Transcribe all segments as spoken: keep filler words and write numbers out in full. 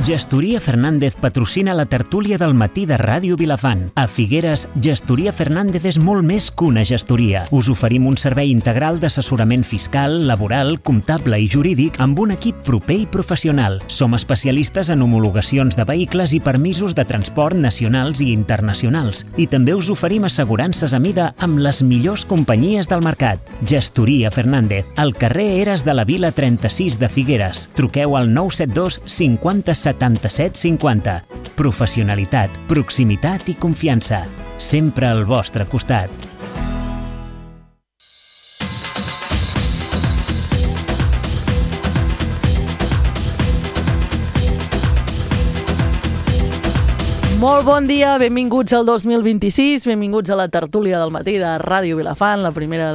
Gestoria Fernández patrocina la tertúlia del matí de Ràdio Vilafant. A Figueres, Gestoria Fernández és molt més que una gestoria. Us oferim un servei integral d'assessorament fiscal, laboral, comptable i jurídic amb un equip proper i professional. Som especialistes en homologacions de vehicles i permisos de transport nacionals i internacionals. I també us oferim assegurances a mida amb les millors companyies del mercat. Gestoria Fernández, al carrer Eres de la Vila trenta-sis de Figueres. Truqueu al nou set dos cinquanta setanta-set cinquanta. Professionalitat, proximitat i confiança. Sempre al vostre costat. Molt bon dia, benvinguts al dos mil vint-i-sis, benvinguts a la tertúlia del matí de Ràdio Vilafant, la primera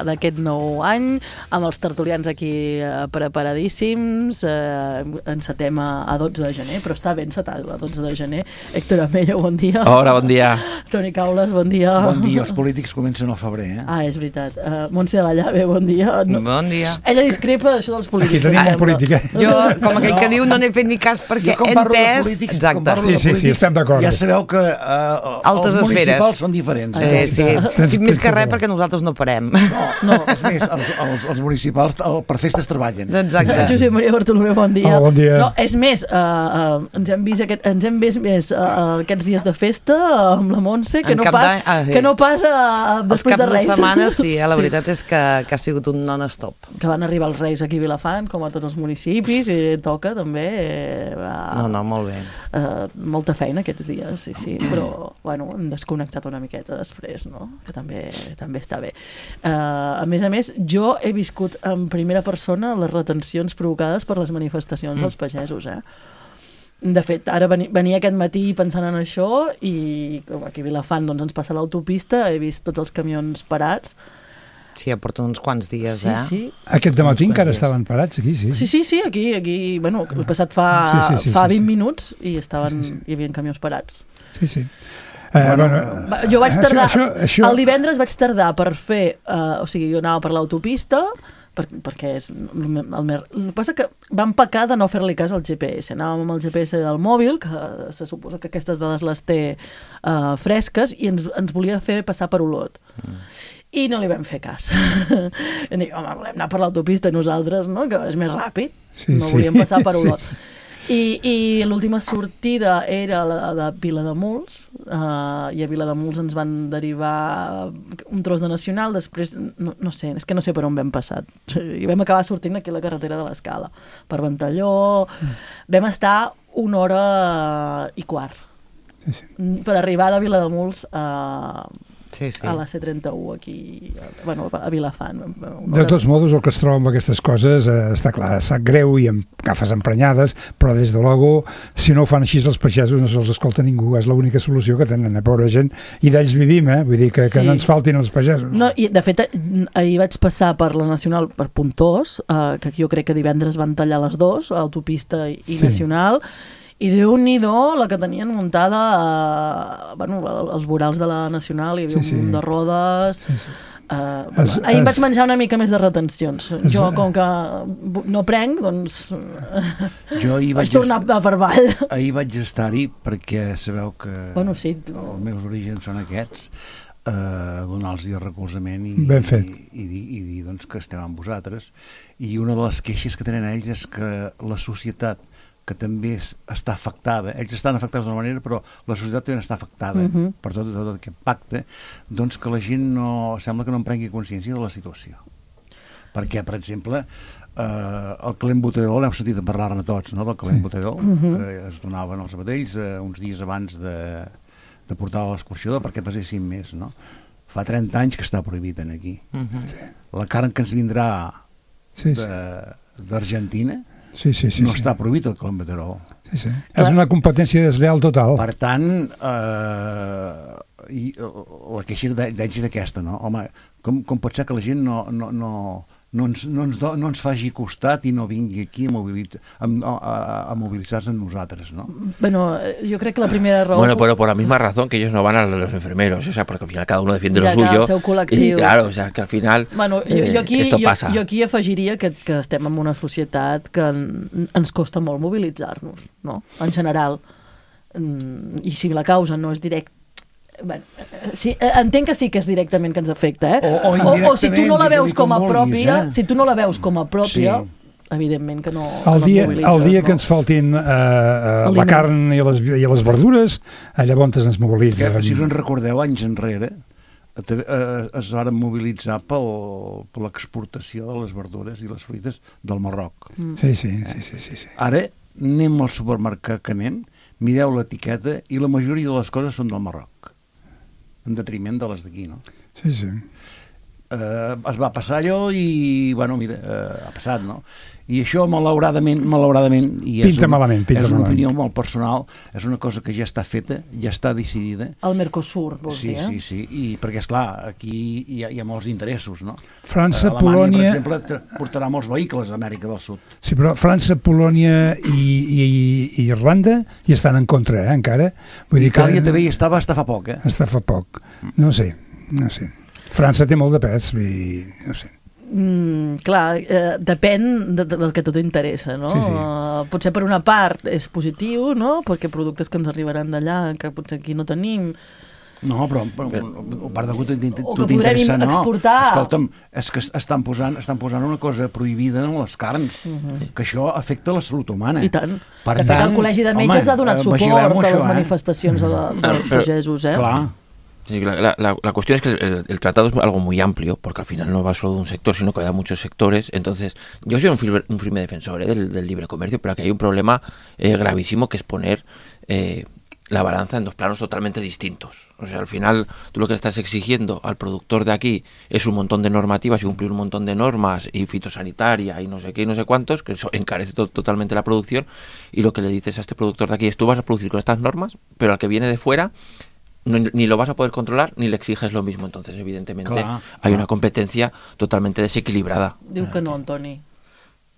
d'aquest nou any, amb els tertulians aquí eh, preparadíssims. Eh, encetem a, a dotze de gener, però està ben encetat a dotze de gener. Héctor Amello, bon dia. Hola, bon dia. Toni Caules, bon dia. Bon dia, els polítics comencen al febrer, eh? Ah, és veritat. Uh, Montse de la Llave, bon dia. No, bon dia. Ella discrepa d'això dels polítics. Aquí tenim un polític, eh? Jo, com aquell no. que diu, no n'he fet ni cas perquè he entès... Polítics, exacte. Sí, sí, sí, estem d'acord. Ja sabeu que uh, altes els municipals esferes són diferents. Eh, Eh? sí, sí. sí, més que res perquè nosaltres no parem. No, no, és més, els, els, els municipals el, per festes treballen. Exacte. Josep Maria Bartolomé, bon dia. Oh, bon dia. No, és més, uh, uh, ens hem vist, aquest, ens hem vist més uh, aquests dies de festa amb la Montse, que En no cap pas, ah, sí. que no pas uh, Els després de caps de Reis. setmana, sí, eh, la veritat és que, que ha sigut un non-stop. Que van arribar els Reis aquí a Vilafant, com a tots els municipis, i toca també. Eh, uh, No, no, molt bé. Uh, molta feina aquests dies, sí, sí, però bueno, hem desconnectat una miqueta després, no? Que també, també està bé. Uh, a més a més, jo he viscut en primera persona les retencions provocades per les manifestacions dels pagesos, eh? De fet, ara venia, venia aquest matí pensant en això i com aquí a Vilafant doncs, ens passa l'autopista, he vist tots els camions parats. Sí, ja porten uns quants dies, Sí, eh? sí. Aquest dematí encara dies. estaven parats aquí, sí. Sí, sí, sí, aquí, aquí bueno, he passat fa, Sí, sí, sí, fa sí, vint sí. minuts i estaven, Sí, sí. hi havia camions parats. Sí, sí. Eh, Bueno, bueno, Va, Jo vaig tardar, Això, això, això... el divendres vaig tardar per fer, uh, o sigui, jo anava per l'autopista, per, perquè és el, el, el més... El que passa que vam pecar de no fer-li cas al G P S. Anàvem amb el G P S del mòbil, que se suposa que aquestes dades les té uh, fresques, i ens, ens volia fer passar per Olot. Mm. I no li vam fer cas. Em dic, home, volem anar per l'autopista nosaltres, no? Que és més ràpid. Sí, no sí. volíem passar per Olot. Sí, sí. I, i l'última sortida era la de Vilademuls, uh, i a Vilademuls ens van derivar un tros de Nacional, després, no, no sé, és que no sé per on vam passar, i vam acabar sortint aquí a la carretera de l'Escala, per Ventalló, mm. vam estar una hora i quart, Sí, sí. per arribar de Vilademuls a... Sí, sí. a la C trenta-u aquí, bueno, a Vilafant. De tots modos, el que es troba amb aquestes coses eh, està clar, sap greu i amb agafes emprenyades, però des de logo, si no ho fan així els pagesos no se'ls escolta ningú, és l'única solució que tenen, eh, pobra gent, i d'ells vivim, eh? Vull dir que, que Sí. no ens faltin els pagesos. No, i de fet, ahir vaig passar per la Nacional, per Pontós, eh, que jo crec que divendres van tallar les dues, autopista i Sí. Nacional, i Déu-n'hi-do la que tenien muntada, eh, bueno, els vorals de la Nacional, hi havia Sí, sí. un munt de rodes... Sí, sí. Uh, Es- ahir em es- vaig menjar una mica més de retencions. Es- Jo, com que no prenc, doncs Jo ahir vaig vaig, tornar per avall. ahir vaig estar-hi perquè sabeu que Bueno, sí. els meus orígens són aquests, eh, donar-los el recolzament i, Ben fet. i, i, dir, i dir doncs, que estem amb vosaltres. I una de les queixes que tenen ells és que la societat, que també és, està afectada, ells estan afectats d'una manera, però la societat també està afectada uh -huh. per tot, tot aquest pacte, doncs que la gent no, sembla que no en prengui consciència de la situació. Perquè, per exemple, eh, el calent Boteró, l'heu sentit a parlar-ne tots, no?, del calent Boteró, uh -huh. que es donaven als vedells eh, uns dies abans de, de portar a l'escorxador perquè pesessin més, no? Fa trenta anys que està prohibit aquí. Uh -huh. La carn que ens vindrà Sí, sí. d'Argentina Sí, sí, sí, no sí. està prohibit el calent Boteró. Sí, sí. És una competència desleal total. Per tant, eh, i, la queixa d'ells era aquesta, no? Home, com, com pot ser que la gent no, no, no, no ens, no, ens do, no ens faci costat i no vingui aquí a, mobilitzar, a, a, a mobilitzar-se en nosaltres, ¿no? Bueno, yo creo que la primera raó... Bueno, pero por la misma razón que ellos no van a los enfermeros, o sea, porque al final cada uno defiende ja, lo suyo. El seu col·lectiu. Y claro, o sea, que al final bueno, jo, eh, jo, aquí, esto jo, pasa. jo aquí afegiria que, que estem en una societat que en, ens costa molt mobilitzar-nos, no? En general. I si la causa no és directa, bueno, sí, entenc que sí que és directament que ens afecta, eh? O, o, o, o si tu no la veus com a vulguis, pròpia, eh? si tu no la veus com a pròpia, Sí. evidentment que no, El que dia, no et mobilitzes. el dia no? que ens faltin uh, uh, la Aliments. carn i les, i les verdures, llavors ens mobilitzen. Que, si us en recordeu, anys enrere eh, es van mobilitzar pel, per l'exportació de les verdures i les fruites del Marroc. Mm. Sí, sí, sí, sí, sí, sí. Ara anem al supermercat que anem, mireu l'etiqueta i la majoria de les coses són del Marroc, en detriment de les d'aquí, no? Sí, sí. Eh, es va passar allò i, bueno, mira, eh, ha passat, no? I això, malauradament, malauradament, i és, Pinta una, malament, pinta és una malament. opinió molt personal, és una cosa que ja està feta, ja està decidida. El Mercosur, vols Sí, dir, eh? sí, sí, i perquè, esclar, aquí hi ha, hi ha molts interessos, no? França, Alemanya, Polònia... per exemple, tra- portarà molts vehicles a Amèrica del Sud. Sí, però França, Polònia i, i, i Irlanda hi estan en contra, eh, encara. Vull dir Itàlia que també hi estava hasta fa poc, eh? està fa poc. No sé, no sé. França té molt de pes i no sé. Mm, clar, eh, depèn de, de, del que a tu t'interessa, no? Sí, sí. Uh, potser per una part és positiu, no? Perquè productes que ens arribaran d'allà, que potser aquí no tenim... No, però, però a part del que tu O que t'interessa, podrem no. exportar. Escolta'm, és que estan posant, estan posant una cosa prohibida en les carns, Uh-huh. que això afecta la salut humana. I tant. Per de fet, tant, el Col·legi de Metges home, ha donat eh, suport vigilem-ho, a les això, eh? manifestacions de la, dels Però- pagesos, eh? Clar. Sí, la, la, la cuestión es que el, el tratado es algo muy amplio, porque al final no va solo de un sector, sino que va de muchos sectores. Entonces, yo soy un firme, un firme defensor, ¿eh? del, del libre comercio, pero aquí hay un problema eh, gravísimo, que es poner eh, la balanza en dos planos totalmente distintos. O sea, al final, tú lo que estás exigiendo al productor de aquí es un montón de normativas y cumplir un montón de normas y fitosanitaria y no sé qué y no sé cuántos, que eso encarece to- totalmente la producción, y lo que le dices a este productor de aquí es: tú vas a producir con estas normas, pero al que viene de fuera no, ni lo vas a poder controlar ni le exiges lo mismo. Entonces, evidentemente, Clar, hay clar. una competencia totalmente desequilibrada. Diu que no, Antoni.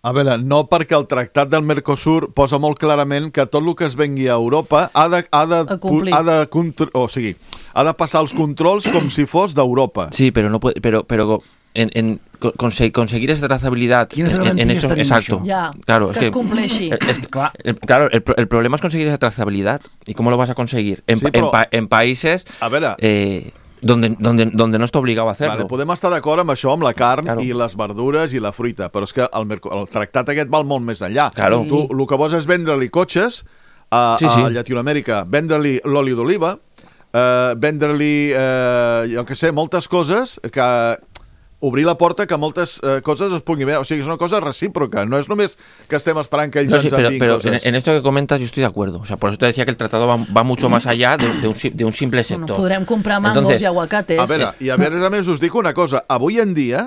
A veure, no, perquè el tractat del Mercosur posa molt clarament que tot el que es vengui a Europa ha de, ha de, A complir. ha de, contr- o sigui, ha de passar els controls com si fos d'Europa. Sí, pero no puede, pero, pero en, en co- conse- conseguir esa trazabilidad Quines en, en garanties eso, tenim exacto. d'això? Ja, Claro, que es es compleixi. Es, Clar. el, claro, el, pro- el problema es conseguir esa trazabilidad. ¿Y cómo lo vas a conseguir? En, Sí, pa- pero- en, pa- en países A veure, eh, donde, donde, donde no está obligado a hacerlo. vale, podem estar d'acord amb això, amb la carn Claro. i les verdures i la fruita, però és que el, Merco- el tractat aquest val molt més enllà. Claro. Tu el que vols és vendre-li cotxes a, Sí, sí. a Llatinoamèrica, vendre-li l'oli d'oliva, eh, vendre-li, eh, jo què sé, moltes coses que... obrir la porta que moltes eh, coses es puguin veure. O sigui, és una cosa recíproca. No és només que estem esperant que ells No, sí, ens pero, enviïn pero en, coses. en esto que comentas yo estoy de acuerdo. O sea, por eso te decía que el tratado va, va mucho más allá de, de, un, si- de un simple Bueno, sector. podrem comprar mangos Entonces, i aguacates. A veure, i a veure, a més, us dic una cosa. Avui en dia,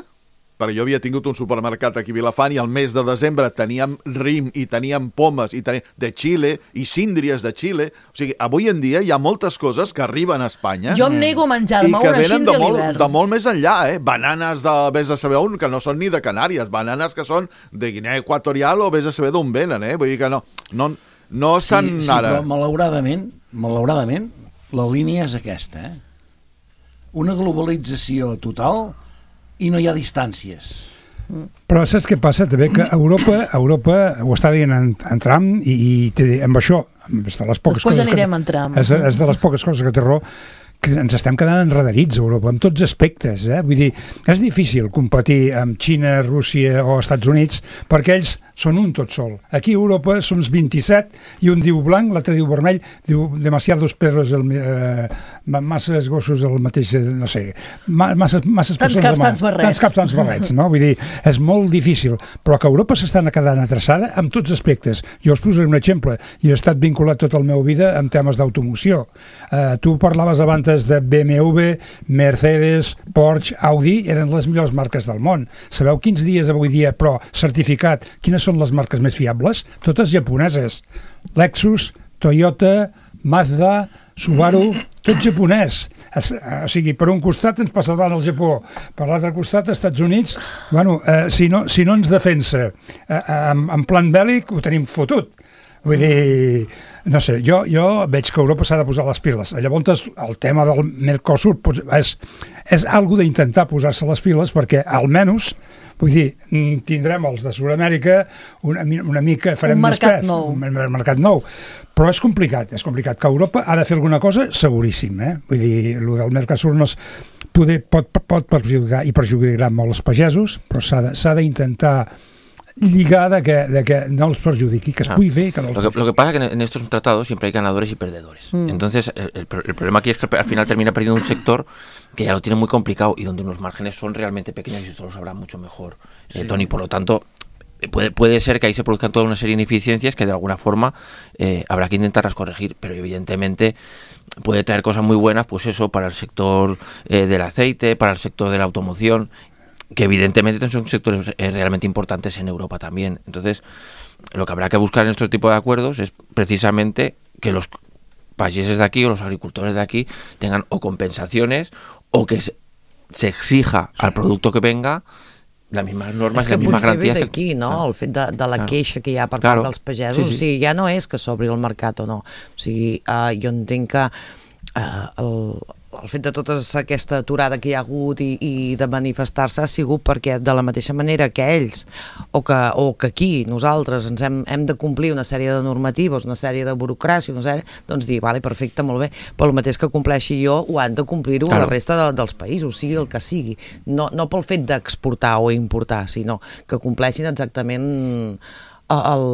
perquè jo havia tingut un supermercat aquí a Vilafant i al mes de desembre teníem rim i teníem pomes i teníem de Xile i síndries de Xile. O sigui, avui en dia hi ha moltes coses que arriben a Espanya Jo em nego a i menjar-me que una venen de síndria a molt, l'hivern. de molt més enllà, eh? Bananes de vés a saber on, que no són ni de Canàries, bananes que són de Guinea Equatorial o vés a saber d'on venen, eh? Vull dir que no, no, no estan sí, sí, ara... però malauradament, malauradament, la línia és aquesta, eh? Una globalització total i no hi ha distàncies. Però saps què passa? També que Europa, Europa ho està dient en, en Trump i, i té, amb això, és de les poques Després coses anirem que, en Trump. És, és de les poques coses que té raó, que ens estem quedant enredarits a Europa, en tots aspectes, eh? Vull dir, és difícil competir amb Xina, Rússia o Estats Units, perquè ells són un tot sol. Aquí a Europa som vint-i-set i un diu blanc, l'altre diu vermell, diu demasiados perros, el, eh, masses gossos el mateix, eh, no sé, ma, masses, masses Tants persones... caps, de mà. tants barrets. Tants caps, tants barrets, no? Vull dir, és molt difícil, però que Europa s'està quedant atrasada en tots aspectes. Jo us posaré un exemple. Jo he estat vinculat tota la meva vida amb temes d'automoció. Uh, tu parlaves abans de B M W, Mercedes, Porsche, Audi, eren les millors marques del món. Sabeu quins dies avui dia, però certificat, quines són les marques més fiables? Totes japoneses. Lexus, Toyota, Mazda, Subaru, tot japonès. Es, o sigui, per un costat ens passa davant el Japó, per l'altre costat els Estats Units, bueno, eh, si, no, si no ens defensa eh, en, en plan bèl·lic ho tenim fotut. Vull dir, no sé, jo, jo veig que Europa s'ha de posar les piles. Llavors, el tema del Mercosur és, és algo d'intentar posar-se les piles perquè, almenys, vull dir, tindrem els de Sud-amèrica una, una mica, farem un mercat més pes, nou. un mercat nou. Però és complicat, és complicat. Que Europa ha de fer alguna cosa, seguríssim, eh? Vull dir, el del Mercosur no és, poder, pot, pot perjudicar i perjudicar molt els pagesos, però s'ha d'intentar lligar de que, de que no els perjudiqui, que es claro. pugui fer. Que no lo, que, lo que pasa es que en estos tratados siempre hay ganadores y perdedores. Mm. Entonces, el, el, el problema aquí es que al final termina perdiendo un sector que ya lo tiene muy complicado y donde los márgenes son realmente pequeños y esto lo sabrá mucho mejor sí. eh, Tony. Por lo tanto, puede, puede ser que ahí se produzcan toda una serie de ineficiencias que de alguna forma eh, habrá que intentarlas corregir, pero evidentemente puede traer cosas muy buenas, pues eso, para el sector eh, del aceite, para el sector de la automoción, que evidentemente son sectores eh, realmente importantes en Europa también. Entonces, lo que habrá que buscar en este tipo de acuerdos es precisamente que los países de aquí o los agricultores de aquí tengan o compensaciones o que se, se exija sí. al producto que venga les mismes normes i les mismes garanties. És que potser ve d'aquí, no? Claro. El fet de, de la claro. queixa que hi ha per claro. part dels pagesos. Sí, sí. O sigui, ja no és que s'obri el mercat o no. O sigui, uh, jo entenc que uh, el... el fet de tota aquesta aturada que hi ha hagut i, i de manifestar-se ha sigut perquè de la mateixa manera que ells o que, o que aquí nosaltres ens hem, hem de complir una sèrie de normatives, una sèrie de burocràcia, una sèrie, doncs dir, vale, perfecte, molt bé, però el mateix que compleixi jo ho han de complir-ho claro. la resta de, dels països, sigui el que sigui. No, no pel fet d'exportar o importar, sinó que compleixin exactament el,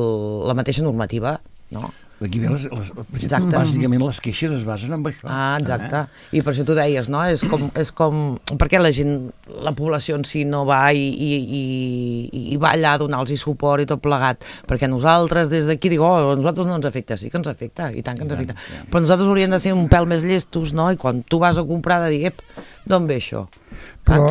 la mateixa normativa, no? D'aquí ve les, les, exacte. Bàsicament les queixes es basen en això. Ah, exacte. Eh? I per això tu deies, no? És com, és com... Per què la gent, la població en si no va i, i, i, i va allà a donar-los suport i tot plegat? Perquè nosaltres des d'aquí digo, oh, a nosaltres no ens afecta. Sí que ens afecta, i tant que ens afecta. Ja, ja. Però nosaltres hauríem de ser un pèl més llestos, no? I quan tu vas a comprar de dir, ep, d'on ve això? Però,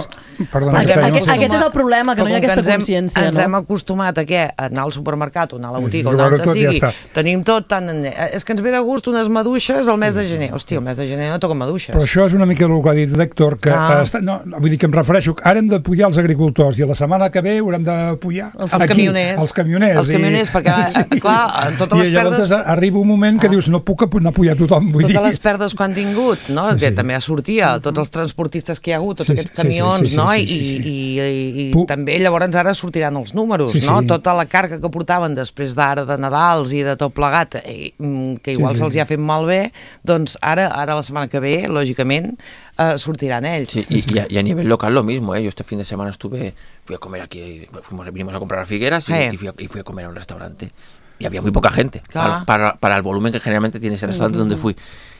perdona, aquest, aquest, aquest és el problema, que no hi ha aquesta consciència. Ens, hem, ens no? hem acostumat a què? A anar al supermercat o anar a la botiga o anar on sigui, ja tenim tot tan... És que ens ve de gust unes maduixes al mes de gener. Hòstia, el mes de gener no toquen maduixes. Però això és una mica el que ha dit l'Héctor, que ah. està, no, vull dir que em refereixo, ara hem d'apoyar els agricultors i la setmana que ve haurem d'apoyar els, els camioners. Els camioners. Els camioners, i, perquè, sí. clar, totes les I llavors perdes... arriba un moment que ah. dius, no puc no apoyar tothom, vull totes dir. les perdes que han tingut, no? Sí, que sí. també sortia, tots els transportistes que hi ha hagut, tots sí, aquests camions, sí, sí, sí, no? Sí, sí, sí, sí. I, i, i, i també llavors ara sortiran els números, sí, no? Sí. Tota la càrrega que portaven després d'ara de Nadals i de tot plegat, i, que igual sí, sí. se'ls hi ha fet malbé, doncs ara, ara la setmana que ve, lògicament, eh, sortiran ells. Sí, y, y, a, y a nivel local lo mismo, ¿eh? Yo este fin de semana estuve, fui a comer aquí, fuimos, vinimos a comprar a Figueras y, eh. y, fui a, y fui a comer a un restaurante. Y había muy poca gente, para, para, para el volumen que generalmente tiene ese restaurante uh-huh. donde fui.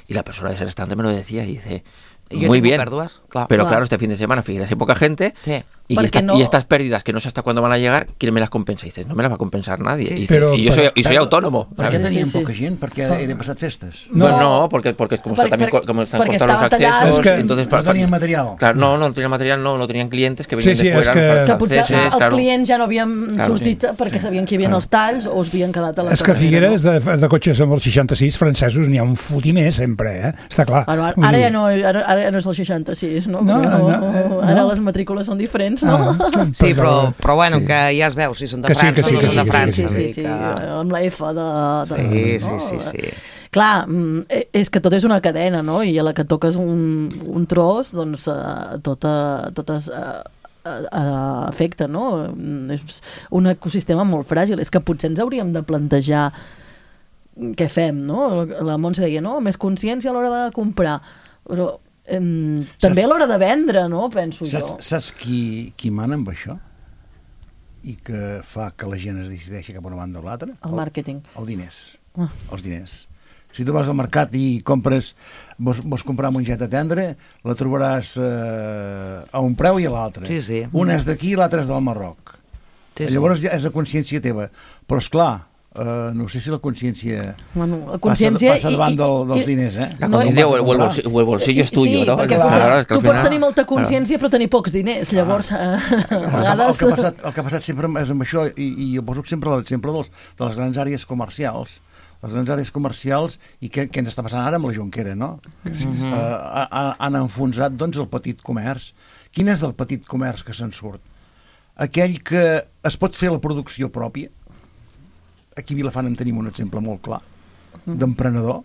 Y la persona de ese restaurante me lo decía y dice... Muy bien, pèrdues, clar, pero clar. claro, este fin de semana Figueras hay poca gente sí. y, esta, no... y estas pérdidas que no sé hasta cuándo van a llegar, ¿quién me las compensa? Y dices, no me las va a compensar nadie. Sí, sí. Y, dices, pero, y yo soy, y soy pero, autónomo. ¿Por qué tenían sí, sí. poca gent? Perquè he de passar festes? No, bueno, no porque, porque como, perquè, está también, como están cortados los accesos, es que entonces... No tenían material. Claro, no, no tenían material, no, no tenían clientes que venían sí, sí, de fuera. Que, que potser franceses, els claro. clients ja no havien claro, sortit sí. perquè sabien que hi havia claro. els talls o es havien quedat a la És que a Figueres, no? de, de cotxes amb els seixanta-sis francesos n'hi ha un fotimer sempre, eh? Està clar. Bueno, ara, ara, ja no, ara, ara ja no és el seixanta-sis, no? No, no, no, ara no. les matrícules són diferents, no? Ah, sí, però, però bueno, sí. que ja es veu si són de que França sí, o no sí, són de sí, França. Sí, sí, sí, que... amb la F de... de sí, no? sí, sí, sí. Clar, és que tot és una cadena, no? I a la que toques un, un tros, doncs uh, tota, totes... Uh, afecta, no? És un ecosistema molt fràgil. És que potser ens hauríem de plantejar què fem, no? La Montse deia, no? Més consciència a l'hora de comprar. Però eh, també a l'hora de vendre, no? Penso saps, jo. Saps qui, qui mana amb això? I que fa que la gent es decideixi cap a una banda o l'altra? El màrqueting. El, el diners. Ah. Els diners. Si tu vas al mercat i compres, vols, vols comprar mongeta tendre, la trobaràs eh, a un preu i a l'altre. Sí, sí. Una és d'aquí i l'altra és del Marroc. Sí, sí. Llavors ja és a consciència teva. Però, esclar, Uh, no sé si la consciència, bueno, la consciència passa, passa davant i, del, dels i, diners, eh? La conciencia o, o, el bolsillo, o el bolsillo es tuyo, sí, ¿no? perquè Claro, claro, es que tu al pots final- tenir molta consciència però tenir pocs diners, llavors eh, a El, vegades... que ha passat, el que ha passat sempre és amb això, i, i jo poso sempre l'exemple dels, de les grans àrees comercials, les grans àrees comercials, i què, què ens està passant ara amb la Jonquera, no? Sí. Uh, ha, han enfonsat, doncs, el petit comerç. Quin és el petit comerç que se'n surt? Aquell que es pot fer la producció pròpia. Aquí a Vilafant en tenim un exemple molt clar, d'emprenedor,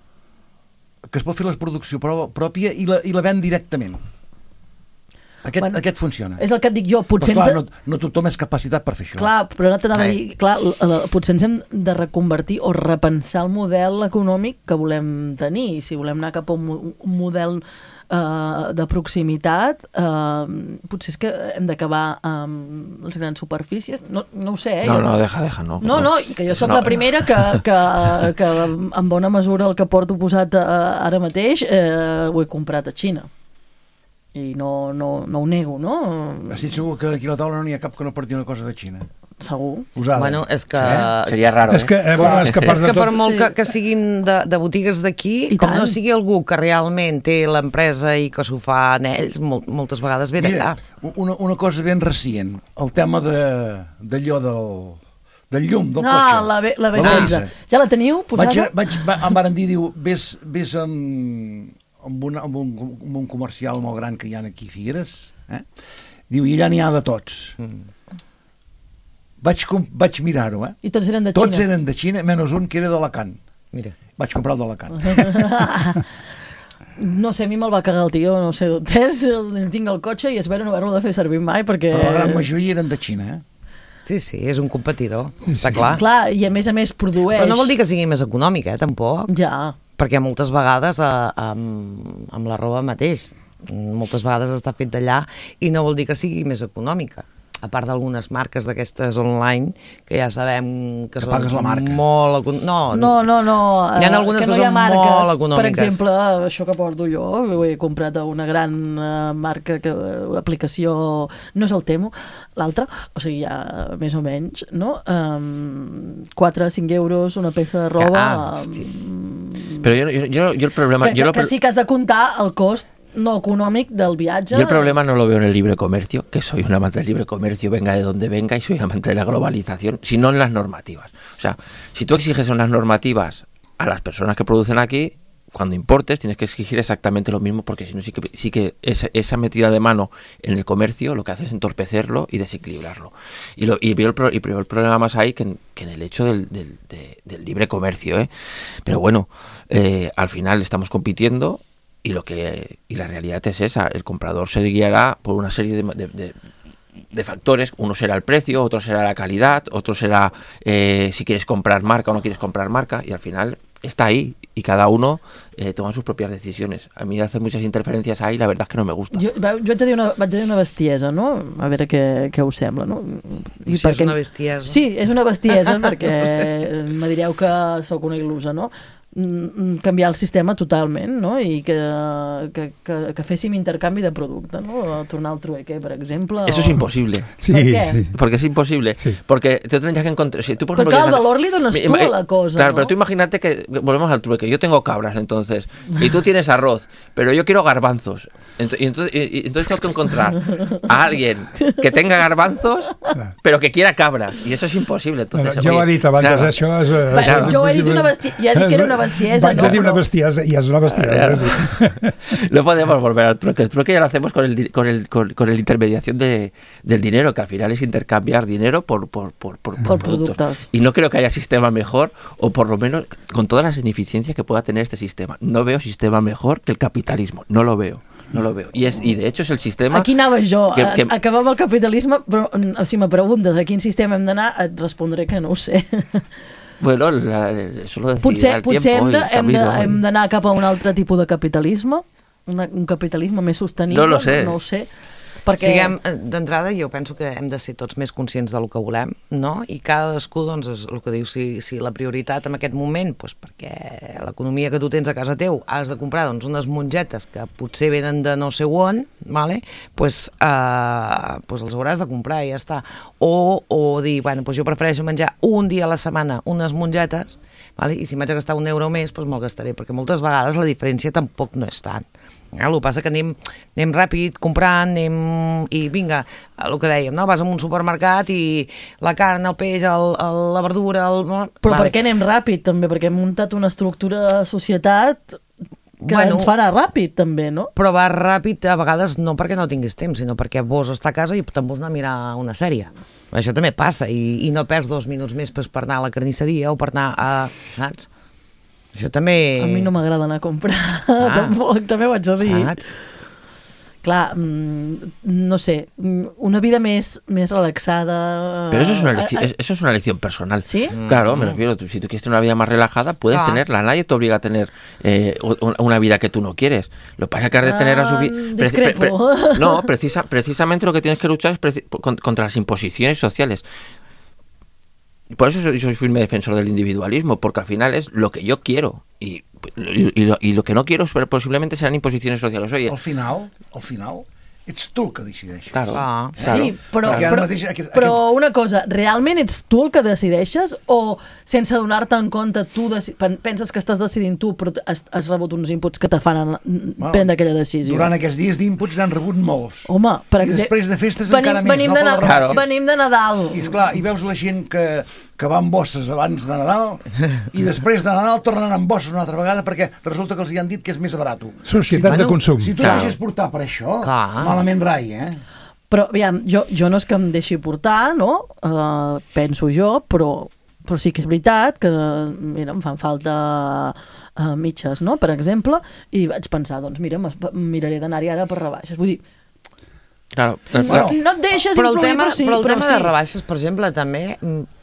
que es pot fer la producció pròpia i la, i la ven directament. Aquest, bueno, aquest funciona. És el que et dic jo, potser... Però, clar, ens... no, no tothom és capacitat per fer això. Clar, però no t'anava a dir... Clar, potser ens hem de reconvertir o repensar el model econòmic que volem tenir. Si volem anar cap a un, un model uh, de proximitat, uh, potser és que hem d'acabar amb les grans superfícies. No, no ho sé, eh? No, jo no, deja, deja, no. No, no, i que jo sóc no, la primera que, que, que en bona mesura el que porto posat uh, ara mateix eh, ho he comprat a Xina. I no, no, no ho nego, no? Estic segur que aquí a la taula no n'hi ha cap que no porti una cosa de Xina. Segur. Usada. Bueno, és que... Sí? Seria raro, És que, eh, bueno, és que, a part És de que per tot, molt que, que siguin de, de botigues d'aquí, I com tant. no sigui algú que realment té l'empresa i que s'ho fa en ells, molt, moltes vegades ve d'allà. Mira, una, una cosa ben recient, el tema de d'allò del, del llum, del No, cotxe. la, B- la B La setze. Benza. Ja la teniu posada? Vaig, vaig, va, em varen dir, diu, vés, vés amb, amb, una, amb, un, amb un comercial molt gran que hi ha aquí a Figueres, eh? Diu, i allà n'hi ha de tots. Mm. Vaig, com, vaig mirar-ho, eh? I tots eren de Tots Xina? eren de Xina, menys un que era d'Alacant. Mira. Vaig comprar el d'Alacant. No sé, a mi me'l va cagar el tio, no sé d'on és, el- tinc el cotxe i espero no haver-lo de fer servir mai perquè... Però la gran majoria eren de Xina, eh? Sí, sí, és un competidor, està clar. Clar, i a més a més produeix... Però no vol dir que sigui més econòmic, eh, tampoc. Ja, Perquè moltes vegades eh, amb, amb la roba mateix, moltes vegades està fet d'allà i no vol dir que sigui més econòmica. A part d'algunes marques d'aquestes online que ja sabem que, Que són pagues la marca. molt... econ- No, no, no, no. Hi ha eh, algunes que, no que hi ha són marques. molt econòmiques. Per exemple, això que porto jo, ho he comprat a una gran uh, marca, que aplicació, no és el Temu, l'altra, o sigui, ja més o menys, no? Um, quatre a cinc euros una peça de roba. Ah, hosti. um, Pero yo, yo, yo, yo el problema... que, yo que, lo que pro- sí que has de comptar el cost no econòmic del viatge. Yo el problema no lo veo en el libre comercio, que soy un amante del libre comercio, venga de donde venga, y soy amante de la globalización, sino en las normativas. O sea, si tú exiges unas normativas a las personas que producen aquí, cuando importes tienes que exigir exactamente lo mismo, porque si no sí que, sí que esa, esa metida de mano en el comercio lo que hace es entorpecerlo y desequilibrarlo. Y, lo, y, veo, el, pro- y veo el problema más ahí que en, que en el hecho del, del, de- del libre comercio, ¿eh? Pero bueno, eh, al final estamos compitiendo. Y lo que y la realidad es esa, el comprador se guiará por una serie de, de, de, de factores. Uno será el precio, otro será la calidad, otro será eh, si quieres comprar marca o no quieres comprar marca, y al final está ahí y cada uno eh, toma sus propias decisiones. A mí hace muchas interferencias ahí, la verdad es que no me gusta. Jo, va- jo haig de dir una, vaig dir una bestiesa, no? A veure què, què us sembla, no? I si és una bestiesa. Sí, és una bestiesa, perquè me direu que sóc una il·lusa, no? Mm, canviar el sistema totalment, no? I que, que, que, que féssim intercanvi de producte, no? Tornar al trueque, per exemple. Eso o... es imposible. Sí, Per què? sí. Porque es imposible. Sí. Porque te tendrías que encontrar. Si tú, por Pero ejemplo, claro, quieres- el valor le donas Mi- tú a eh, la cosa, Claro, ¿no? pero tú imagínate que volvemos al trueque. Yo tengo cabras, entonces, y tú tienes arroz, pero yo quiero garbanzos. Ent- y, entonces, y- y entonces tengo que encontrar a alguien que tenga garbanzos, pero que quiera cabras. Y eso es imposible. Entonces, Ja ho oye, ha dit abans, claro. això és... eh, Va, és jo he dit una bestiesa, ja he dit que era una bestiesa, Vaig no? a dir una Però- bestiesa, i és una bestiesa, sí. No podemos volver al trueque. El trueque ya lo hacemos con el di- con el con, con el intermediación de, del dinero, que al final es intercambiar dinero por por, por, por, por Por productos. productos. Y no creo que haya sistema mejor, o por lo menos con todas las ineficiencias que pueda tener este sistema. No veo sistema mejor que el capitalismo. No lo veo. No lo veo. Y es y de hecho es el sistema... Aquí anava jo, que- que- a- acabar amb el capitalisme, però mm, si me preguntes a quin sistema hem d'anar, et respondré que no ho sé. Bueno, la, eso lo decidirá Potser, el potser tiempo hem y de- el hem de- camino. hem d'anar cap a un altre tipus de capitalisme, una, un capitalisme més sostenible, No lo sé. no ho sé. Perquè... Siguem, d'entrada, jo penso que hem de ser tots més conscients del que volem, no? I cadascú, doncs, és el que diu, si, si la prioritat en aquest moment, doncs, perquè l'economia que tu tens a casa teu has de comprar doncs, unes mongetes que potser venen de no sé on, vale? pues, eh, pues els hauràs de comprar i ja està. O, o dir, bueno, pues jo prefereixo menjar un dia a la setmana unes mongetes, vale? I si m'haig de gastar un euro més, doncs me'l gastaré, perquè moltes vegades la diferència tampoc no és tant. El que passa que anem, anem ràpid comprant, anem, i vinga, el que dèiem, no? Vas a un supermercat i la carn, el peix, el, el, la verdura... El... Però vale. Per què anem ràpid, també? Perquè hem muntat una estructura de societat que bueno, ens farà ràpid, també, no? Però va ràpid, a vegades, no perquè no tinguis temps, sinó perquè vols estar a casa i te'n vols anar a mirar una sèrie. Això també passa, i, i no perds dos minuts més per anar a la carnisseria o per anar a... Saps? Això també... A mi no m'agrada anar a comprar, ah. tampoc, també ho haig de dir. Saps? Clar, no sé, una vida més, més relaxada... Pero eso es, una elección, eso es una elección personal. ¿Sí? Claro, me refiero, si tú quieres tener una vida más relajada, puedes ah. tenerla. Nadie te obliga a tener eh, una vida que tú no quieres. Lo que pasa es que has de tener... Ah, pre pre pre no, precisa, precisamente lo que tienes que luchar es contra las imposiciones sociales. Por eso soy, soy firme defensor del individualismo, porque al final es lo que yo quiero y, y, y, lo, y lo que no quiero posiblemente serán imposiciones sociales. Oye, al final, al final ets tu el que decideixes. Claro, ah, claro. Sí, però, claro. però, Mateix, aquest, però aquest... una cosa, realment ets tu el que decideixes o sense donar-te en compte tu penses que estàs decidint tu però has, has rebut uns inputs que te fan bueno, prendre aquella decisió? Durant aquests dies d'inputs n'han rebut molts. Home, per I exemple, després de festes venim, encara més. Venim, no? de, Nadal, claro. venim de Nadal. I esclar, i veus la gent que, que va amb bosses abans de Nadal i després de Nadal tornen amb bosses una altra vegada perquè resulta que els hi han dit que és més barat. Societat si, de consum. Si tu claro. deixes portar per això, Clar. malament rai, eh? Però, aviam, jo, jo no és que em deixi portar, no? Uh, penso jo, però, però sí que és veritat que, mira, em fan falta uh, mitges, no?, per exemple, i vaig pensar, doncs mira, miraré d'anar-hi ara per rebaixes. Vull dir, Claro, no, no et deixes però el influir, tema, però sí. Però el però tema sí. de rebaixes, per exemple, també,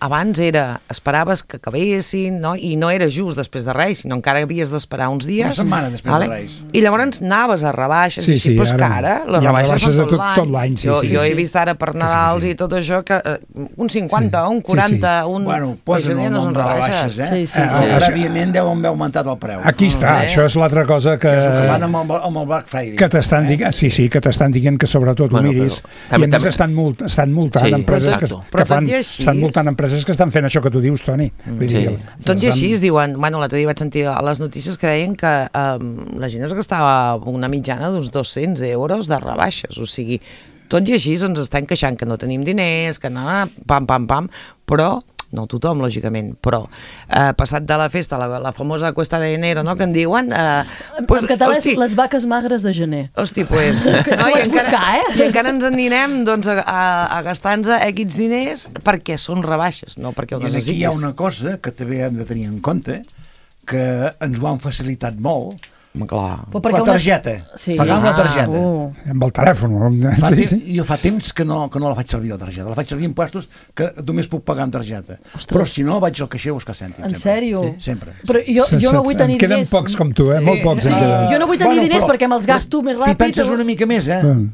abans era, esperaves que acabessin, no? I no era just després de Reis, sinó encara havies d'esperar uns dies. Una setmana després vale? de Reis. I llavors anaves a rebaixes, sí, i així, sí, però és que ara les rebaixes són tot, tot l'any. Sí, jo, sí, jo sí. he vist ara per Nadals sí, sí, sí. i tot això, que uh, un cinquanta, sí. un quaranta, sí, sí. un... Bueno, posen el no nom de rebaixes, eh? Sí, sí, sí. Eh, prèviament deu haver augmentat el preu. Aquí està, eh? Això és l'altra cosa que... Que és el que fan amb el, amb el Black Friday. Que t'estan eh? dient, sí, sí, que t'estan dient que sobretot bueno, ho miris. També, I a més estan, mult, estan multant sí, empreses que, que fan... així, estan multant empreses que estan fent això que tu dius, Toni. Mm, Vull sí. dir, tot i així es diuen, bueno, l'altre dia vaig sentir a les notícies que deien que um, la gent es gastava una mitjana d'uns dos-cents euros de rebaixes, o sigui, tot i així ens estem queixant que no tenim diners, que no, pam, pam, pam, però no tothom, lògicament, però eh, passat de la festa, la, la famosa cuesta de enero, no?, que en diuen... Eh, pues, en català hosti, és les vaques magres de gener. Hosti, pues... que no, i, encara, buscar, eh? I encara ens en anirem doncs, a, a, a gastar-nos X diners perquè són rebaixes, no perquè ho I necessitis. aquí hi ha una cosa que també hem de tenir en compte, que ens ho han facilitat molt, clar. La targeta, una... sí. pagar amb ah, la targeta. Uh. Amb el telèfon. Fa sí, temps, sí. Jo fa temps que no, que no la faig servir la targeta. La faig servir en puestos que només puc pagar amb targeta. Ostres. Però si no, vaig al caixer a buscar cèntims. En sèrio? Sí, sempre. Però jo, jo no vull tenir diners. Queden pocs com tu, eh? Molt pocs. Sí, sí. Jo no vull tenir bueno, diners però, perquè me'ls gasto més ràpid. T'hi penses una mica més, eh? Mm.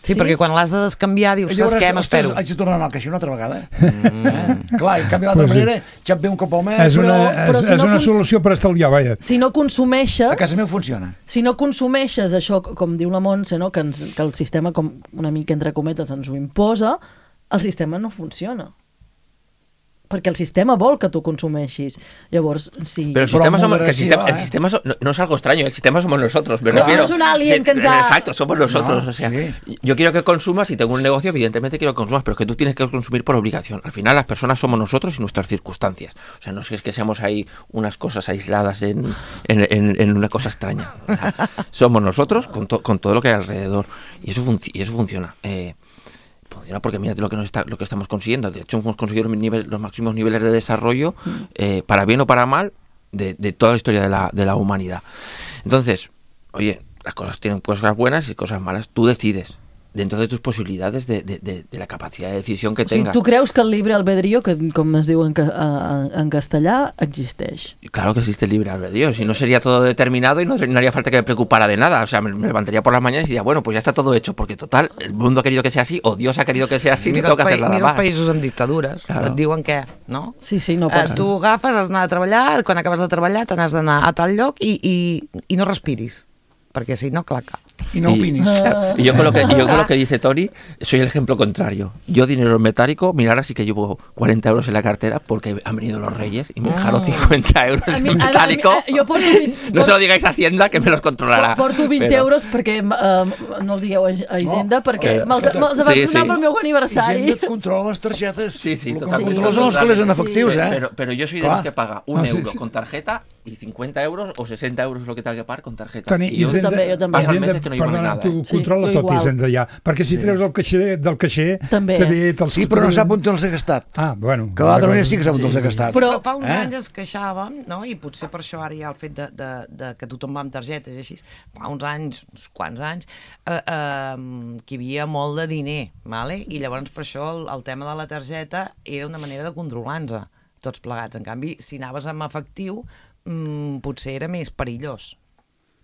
Sí, sí, perquè quan l'has de descanviar dius, saps què, m'espero. Haig de tornar al caixer una altra vegada. Mm. Eh? Clar, i en canvi d'altra pues manera, ja et ve un cop al mes... És una, però, però és, si és no una con... solució per estalviar, vaja. Si no consumeixes... A casa meu funciona. Si no consumeixes això, com diu la Montse, no? que, ens, que el sistema, com una mica entre cometes, ens ho imposa, el sistema no funciona. Perquè el sistema vol que tu consumeixis. Llavors, sí... Pero el sistema, somos, que el sistema, el sistema so, no, no es algo extraño, el sistema somos nosotros, me claro, refiero. No es un alien que ens ha... Exacto, somos nosotros. No, o sea, sí. Yo quiero que consumas, si tengo un negocio, evidentemente quiero que consumas, pero es que tú tienes que consumir por obligación. Al final las personas somos nosotros y nuestras circunstancias. O sea, no es que seamos ahí unas cosas aisladas en, en, en, en una cosa extraña. O sea, somos nosotros con, to, con todo lo que hay alrededor. Y eso, func y eso funciona. Eh, Funciona porque mírate lo que nos está, lo que estamos consiguiendo. De hecho, hemos conseguido los, nivel, los máximos niveles de desarrollo, eh, para bien o para mal, de, de toda la historia de la, de la humanidad. Entonces, oye, las cosas tienen cosas buenas y cosas malas. Tú decides. dentro de tus posibilidades de, de, de, de la capacidad de decisión que O sigui, tengas. tu creus que el libre albedrío, que com es diu en, ca en, en castellà, existeix? Claro que existe el libre albedrío, si no sería todo determinado y no, no haría falta que me preocupara de nada. O sea, me, me levantaría por las mañanas y diría, bueno, pues ya está todo hecho, porque total, el mundo ha querido que sea así, o Dios ha querido que sea así, no tengo que hacer nada más. Mira els más. països amb dictadures, Claro. et diuen què, no? Sí, sí, no Eh, passa. tu agafes, has d'anar a treballar, quan acabes de treballar te n'has d'anar a tal lloc i, i, i no respiris, perquè si no, claca. I no opinis. Y, y yo, con lo que, y yo con lo que dice Toni, soy el ejemplo contrario. Yo dinero en metálico, mirar así que llevo cuarenta euros en la cartera porque han venido los reyes y me dejaron cincuenta euros A mi- en a mi- metálico. a mi- jo porto vint- No se lo digáis a Hacienda, que me los controlarà. Porto vint Però- euros perquè uh, no els digueu a a Hisenda, perquè Eh, me'ls me'ls vaig sí, donar sí. pel meu aniversari. Hisenda et controla les targetes. Sí, sí, El que totalmente. controla són els calés en efectius, eh? Pero, pero yo soy de Clar. los que paga un Ah, sí, euro sí. con tarjeta y cincuenta euros o sesenta euros lo que tenga que pagar con tarjeta. Toni, y yo Hisenda- també, jo també. paso Hisenda, meses que no llevo ni perdona, nada. tu Sí, controla jo tot igual. Hisenda ja, perquè si treus del caixer, del caixer També. també te'ls... Sí, però no sap on te'ls he gastat. Ah, bueno. Que d'altra manera sí que sap on te'ls he gastat. Però- Però fa uns Eh? anys es queixàvem, no? I potser per això ara hi ha el fet de, de, de que tothom va amb targetes i així, fa uns anys, uns quants anys, eh, eh, que hi havia molt de diner, vale? I llavors per això el, el tema de la targeta era una manera de controlar-nos tots plegats. En canvi, si anaves amb efectiu, mm, potser era més perillós.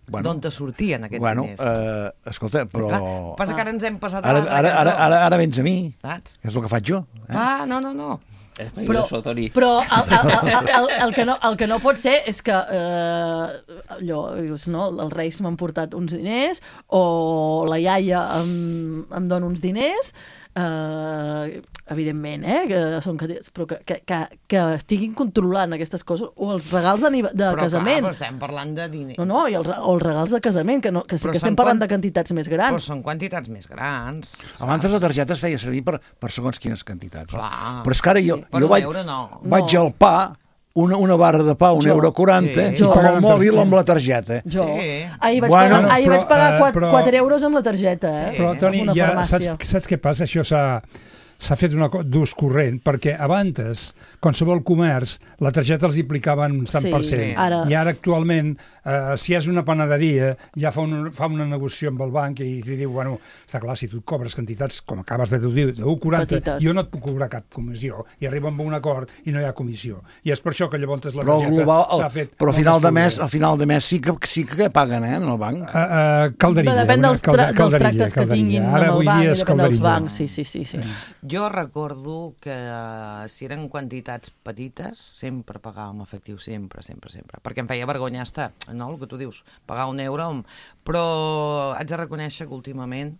Bueno, D'on te sortien aquests bueno, diners? eh, escolta, però... Clar, passa que ara ens hem passat a Ara, l'altre ara, ara, cantó, ara, ara vens a mi, saps? que és el que faig jo. Eh? Ah, no, no, no. Es Però, peligroso, Toni. però el, el, el, el, el, que no, el que no pot ser és que eh, allò, dius, no, els reis m'han portat uns diners o la iaia em, em dona uns diners, eh, evidentment, eh, que són cadets, però que, que, que, que estiguin controlant aquestes coses, o els regals de, de Però casament. clar, però estem parlant de diner. No, no, i els, o els regals de casament, que, no, que sí Però que estem són parlant quan- de quantitats més Però grans. són quantitats més grans. Abans la targeta es feia servir per, per segons quines quantitats. Clar. Però és que ara jo, Per jo un vaig, euro no. vaig No. al pa, una, una barra de pa, un Jo. euro quaranta, Sí. i amb el Jo. mòbil amb la targeta. Jo, Sí. ahir vaig Bueno, pagar, ahir però, vaig pagar eh, quatre, però- quatre euros amb la targeta, eh? Però, Toni, Una ja farmàcia. saps, saps què passa? Això s'ha s'ha fet una co- d'ús corrent, perquè abans, qualsevol comerç, la targeta els implicava un tant Sí, per cent. sí. Ara- I ara, actualment, eh, si és una panaderia, ja fa, un, fa una negociació amb el banc i li diu, bueno, està clar, si tu et cobres quantitats, com acabes de dir, de u coma quaranta, Petites. jo no et puc cobrar cap comissió. I arriba amb un acord i no hi ha comissió. I és per això que llavors la Però, al targeta global, s'ha el, fet... però al molt final de mes, estudiada. al final de mes sí que, sí que paguen, eh, en el banc. Uh, uh, calderilla. Depèn una dels, tra calda- dels calderilla, tractes que calderilla. tinguin Ara, amb el avui banc dia i és depèn dels calderilla. bancs, sí, sí, sí. sí. Jo recordo que eh, si eren quantitats petites, sempre pagàvem efectiu, sempre, sempre, sempre. Perquè em feia vergonya estar, no, el que tu dius, pagar un euro, però haig de reconèixer que últimament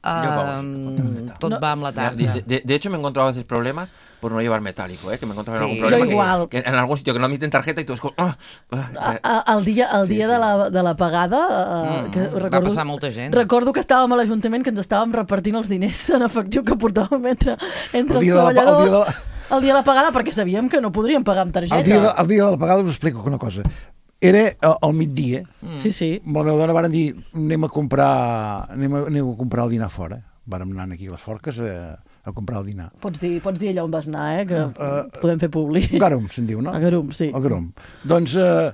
pago eh, tot No. va amb la De, tarda. de- de- de hecho, me he encontrado a veces problemas por no llevar metálico, ¿eh? Que me he encontrado en Sí. algún problema Yo igual. Que, que en algún sitio que no admiten tarjeta y tú es como... ah, ah, A- a- El dia, el Sí, dia sí. de, la, de la pagada, eh, Mm, que va recordo, passar molta gent. recordo que estàvem a l'Ajuntament, que ens estàvem repartint els diners en efectiu que portàvem entre, entre El dia els de la pa- el dia treballadors de la- el dia de la pagada, perquè sabíem que no podríem pagar amb targeta. El dia, de, el dia de la pagada us explico una cosa. Era al, al migdia, Sí, sí. amb la meva dona varen dir anem a comprar, anem a, anem a comprar el dinar fora. Vàrem anar aquí a les Forques a, a comprar el dinar. Pots dir, pots dir allà on vas anar, eh? Que uh, podem fer públic. A Garum, se'n diu, no? A Garum, sí. A Garum. Doncs eh,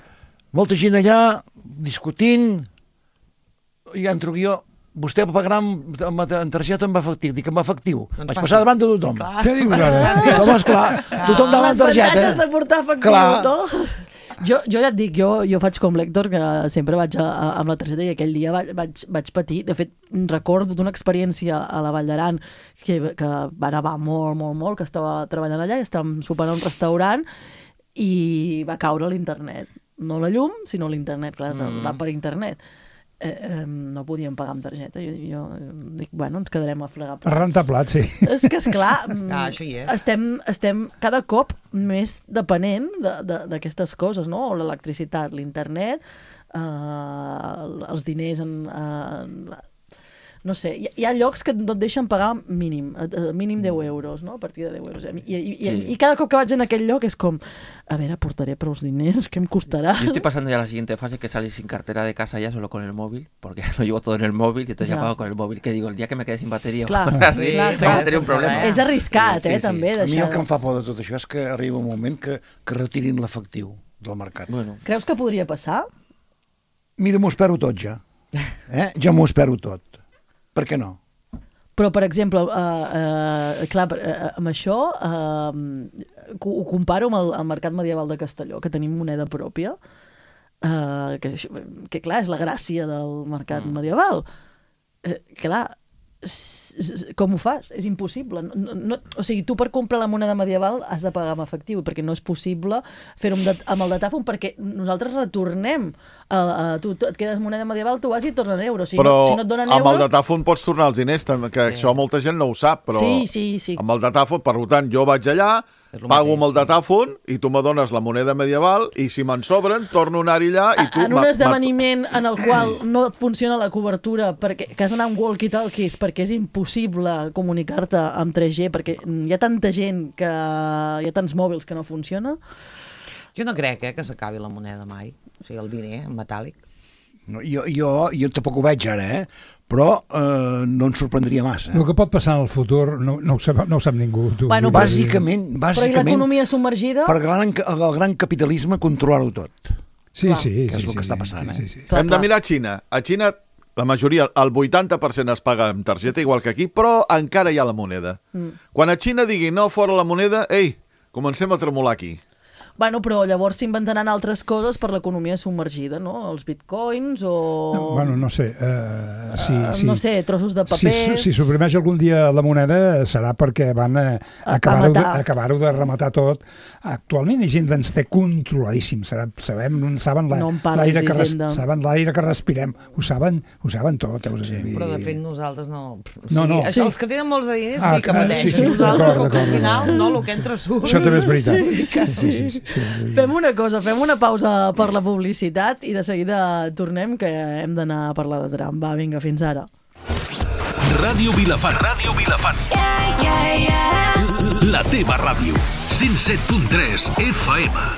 molta gent allà discutint i entro jo, vostè pagarà amb, amb, amb targeta amb efectiu. Dic, amb efectiu. Doncs Vaig faci. passar davant de tothom. Clar. Què dius ara? Home, esclar, tothom davant Les targeta. avantatges de portar efectiu, Clar. no? Jo, jo ja et dic, jo, jo faig com l'Hèctor, que sempre vaig a, a, amb la targeta, i aquell dia vaig, vaig, vaig patir. De fet, recordo d'una experiència a la Vall d'Aran que, que va nevar molt, molt, molt, que estava treballant allà i estàvem sopant a un restaurant i va caure l'internet. No la llum, sinó l'internet, clar, mm. va per internet. Eh, eh, no podíem pagar amb targeta. Jo, jo dic, bueno, ens quedarem a fregar plats. A rentar plats, sí. És que, esclar, Ah, això hi és. estem, estem cada cop més depenent d'aquestes coses, no? L'electricitat, l'internet, eh, els diners en... Eh, no sé, hi, hi ha llocs que no et deixen pagar mínim, eh, mínim deu euros, no? A partir de deu euros. I, i, i, Sí. i cada cop que vaig en aquell lloc és com, a veure, portaré prou diners, què em costarà? Yo estoy pasando ya a la siguiente fase, que salir sin cartera de casa ya solo con el móvil, porque lo llevo todo en el móvil y entonces ya, Ya. pago con el móvil. Que digo, el día que me quede sin batería, Clar, o así, clar, voy clar. a tener un problema. És arriscat, Sí, sí, eh, sí. també, A mi deixar... el que em fa por de tot això és que arriba un moment que, que retirin l'efectiu del mercat. Bueno, Creus que podria passar? Mira, m'ho espero tot ja. Eh? Ja m'ho espero tot. Per què no? Però, per exemple, uh, uh, clar, uh, amb això uh, ho comparo amb el, el mercat medieval de Castelló, que tenim moneda pròpia, uh, que, que clar, és la gràcia del mercat mm. medieval. Uh, clar, com ho fas? És impossible. No, no, o sigui, tu per comprar la moneda medieval has de pagar amb efectiu, perquè no és possible fer-ho amb, amb el datàfon, perquè nosaltres retornem. A, a, tu, tu et quedes moneda medieval, tu vas i et tornen euros. Si però no, si no et donen amb euros... el datàfon pots tornar els diners, que sí. Això molta gent no ho sap, però sí, sí, sí. amb el datàfon, per tant, jo vaig allà, pago amb el datàfon i tu me dones la moneda medieval i si me'n sobren, torno a anar-hi allà i tu... En un esdeveniment en el qual no et funciona la cobertura perquè que has d'anar amb walkie-talkies perquè és impossible comunicar-te amb tres G perquè hi ha tanta gent que hi ha tants mòbils que no funciona. Jo no crec eh, que s'acabi la moneda mai, o sigui, el diner en metàl·lic. No, jo, jo, jo tampoc ho veig ara, eh? Però eh, no ens sorprendria massa. El que pot passar en el futur no, no, ho, sap, no ho sap ningú. Tu, bueno, tu, bàsicament, bàsicament... Però i l'economia submergida? Per gran, el gran capitalisme controlar-ho tot. Sí, clar. sí. Que és sí, el que sí, està passant, sí, eh? sí, sí. Clar, Hem clar. de mirar a Xina. A Xina, la majoria, el vuitanta per cent es paga amb targeta, igual que aquí, però encara hi ha la moneda. Mm. Quan a Xina digui no, fora la moneda, ei, comencem a tremolar aquí. Bueno, però llavors s'inventaran altres coses per l'economia submergida, no? Els bitcoins o... No, bueno, no sé. Uh, sí, uh, sí. No sé, trossos de paper... Si, si suprimeix algun dia la moneda serà perquè van a, a acabar-ho de, acabar de rematar tot. Actualment hi gent ens té controladíssim. Sabem, saben l'aire no que, res, saben l'aire que respirem. Ho saben, ho saben tot. Heu sí, però de fet nosaltres no... O sigui, no, no. Això, sí. Els que tenen molts de diners ah, sí que pateixen. Sí, sí, nosaltres, que al final, no, el que entra surt. Això també és veritat. Sí, sí, sí. sí, sí. Fem una cosa, fem una pausa per la publicitat i de seguida tornem, que hem d'anar a parlar de tram. Va, vinga, fins ara. Ràdio Vilafant. Ràdio Vilafant. Yeah, yeah, yeah. La teva ràdio. cent set punt tres F M.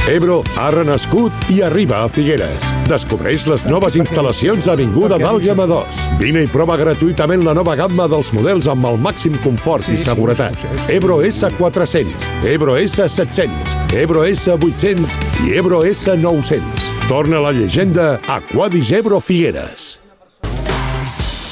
Ebro ha renascut i arriba a Figueres. Descobreix les noves instal·lacions a Avinguda d'Àlguema dos. Vine i prova gratuïtament la nova gamma dels models amb el màxim confort i seguretat. Ebro S quatre-cents, Ebro S set-cents, Ebro S vuit-cents i Ebro S nou-cents. Torna la llegenda Aquadis Ebro Figueres.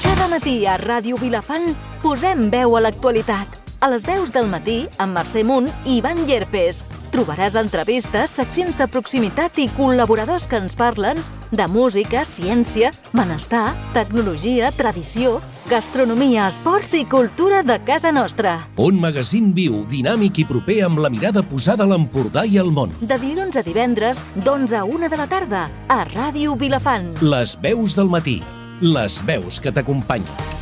Cada matí a Ràdio Vilafant posem veu a l'actualitat. A les veus del matí, amb Mercè Munt i Ivan Llerpes. Trobaràs entrevistes, seccions de proximitat i col·laboradors que ens parlen de música, ciència, benestar, tecnologia, tradició, gastronomia, esports i cultura de casa nostra. Un magazín viu, dinàmic i proper amb la mirada posada a l'Empordà i al món. De dilluns a divendres, d'onze a una de la tarda, a Ràdio Vilafant. Les veus del matí. Les veus que t'acompanyen.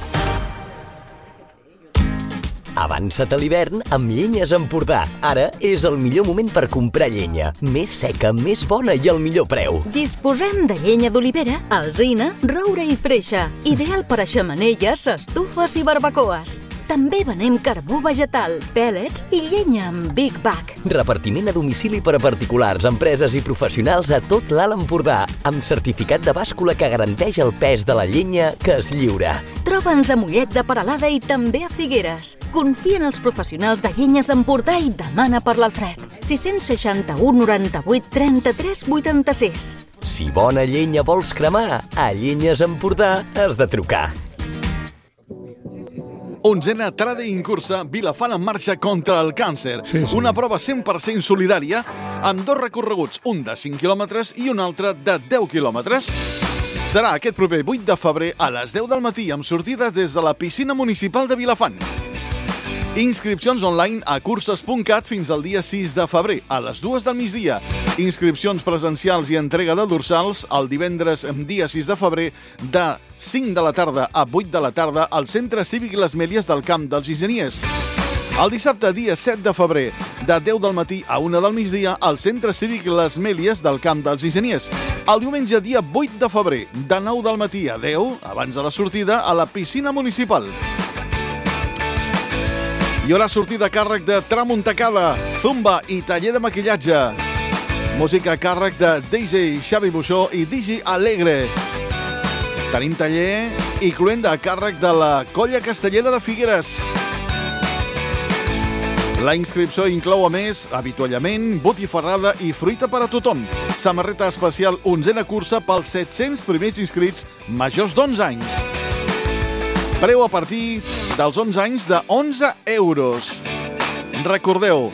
Avança't a l'hivern amb Llenyes Empordà. Ara és el millor moment per comprar llenya. Més seca, més bona i al millor preu. Disposem de llenya d'olivera, alzina, roure i freixa. Ideal per a xemeneies, estufes i barbacoes. També venem carbó vegetal, pèl·lets i llenya amb Big Bag. Repartiment a domicili per a particulars, empreses i professionals a tot l'Alt Empordà, amb certificat de bàscula que garanteix el pes de la llenya que es lliura. Troba'ns a Mollet de Peralada i també a Figueres. Confia en els professionals de Llenyes Empordà i demana per l'Alfred. sis seixanta-u noranta-vuit trenta-tres vuitanta-sis. Si bona llenya vols cremar, a Llenyes Empordà has de trucar. Onzena Trade in Cursa Vilafant en marxa contra el càncer. Sí, sí. Una prova cent per cent solidària amb dos recorreguts, un de cinc quilòmetres i un altre de deu quilòmetres. Serà aquest proper vuit de febrer a les deu del matí amb sortida des de la piscina municipal de Vilafant. Inscripcions online a curses punt cat fins al dia sis de febrer, a les dues del migdia. Inscripcions presencials i entrega de dorsals el divendres dia sis de febrer de cinc de la tarda a vuit de la tarda al Centre Cívic Les Mèlies del Camp dels Enginyers. El dissabte, dia set de febrer, de deu del matí a una del migdia al Centre Cívic Les Mèlies del Camp dels Enginyers. El diumenge, dia vuit de febrer, de nou del matí a deu, abans de la sortida, a la piscina municipal. Hi haurà sortida a càrrec de Tramuntacada, Zumba i taller de maquillatge. Música a càrrec de D J Xavi Buixó i D J Alegre. Tenim taller i cluenda a càrrec de la Colla Castellera de Figueres. La inscripció inclou, a més, avituallament, botifarrada i fruita per a tothom. Samarreta especial onzena cursa pels set-cents primers inscrits majors d'onze anys. Preu a partir dels onze anys de onze euros. Recordeu,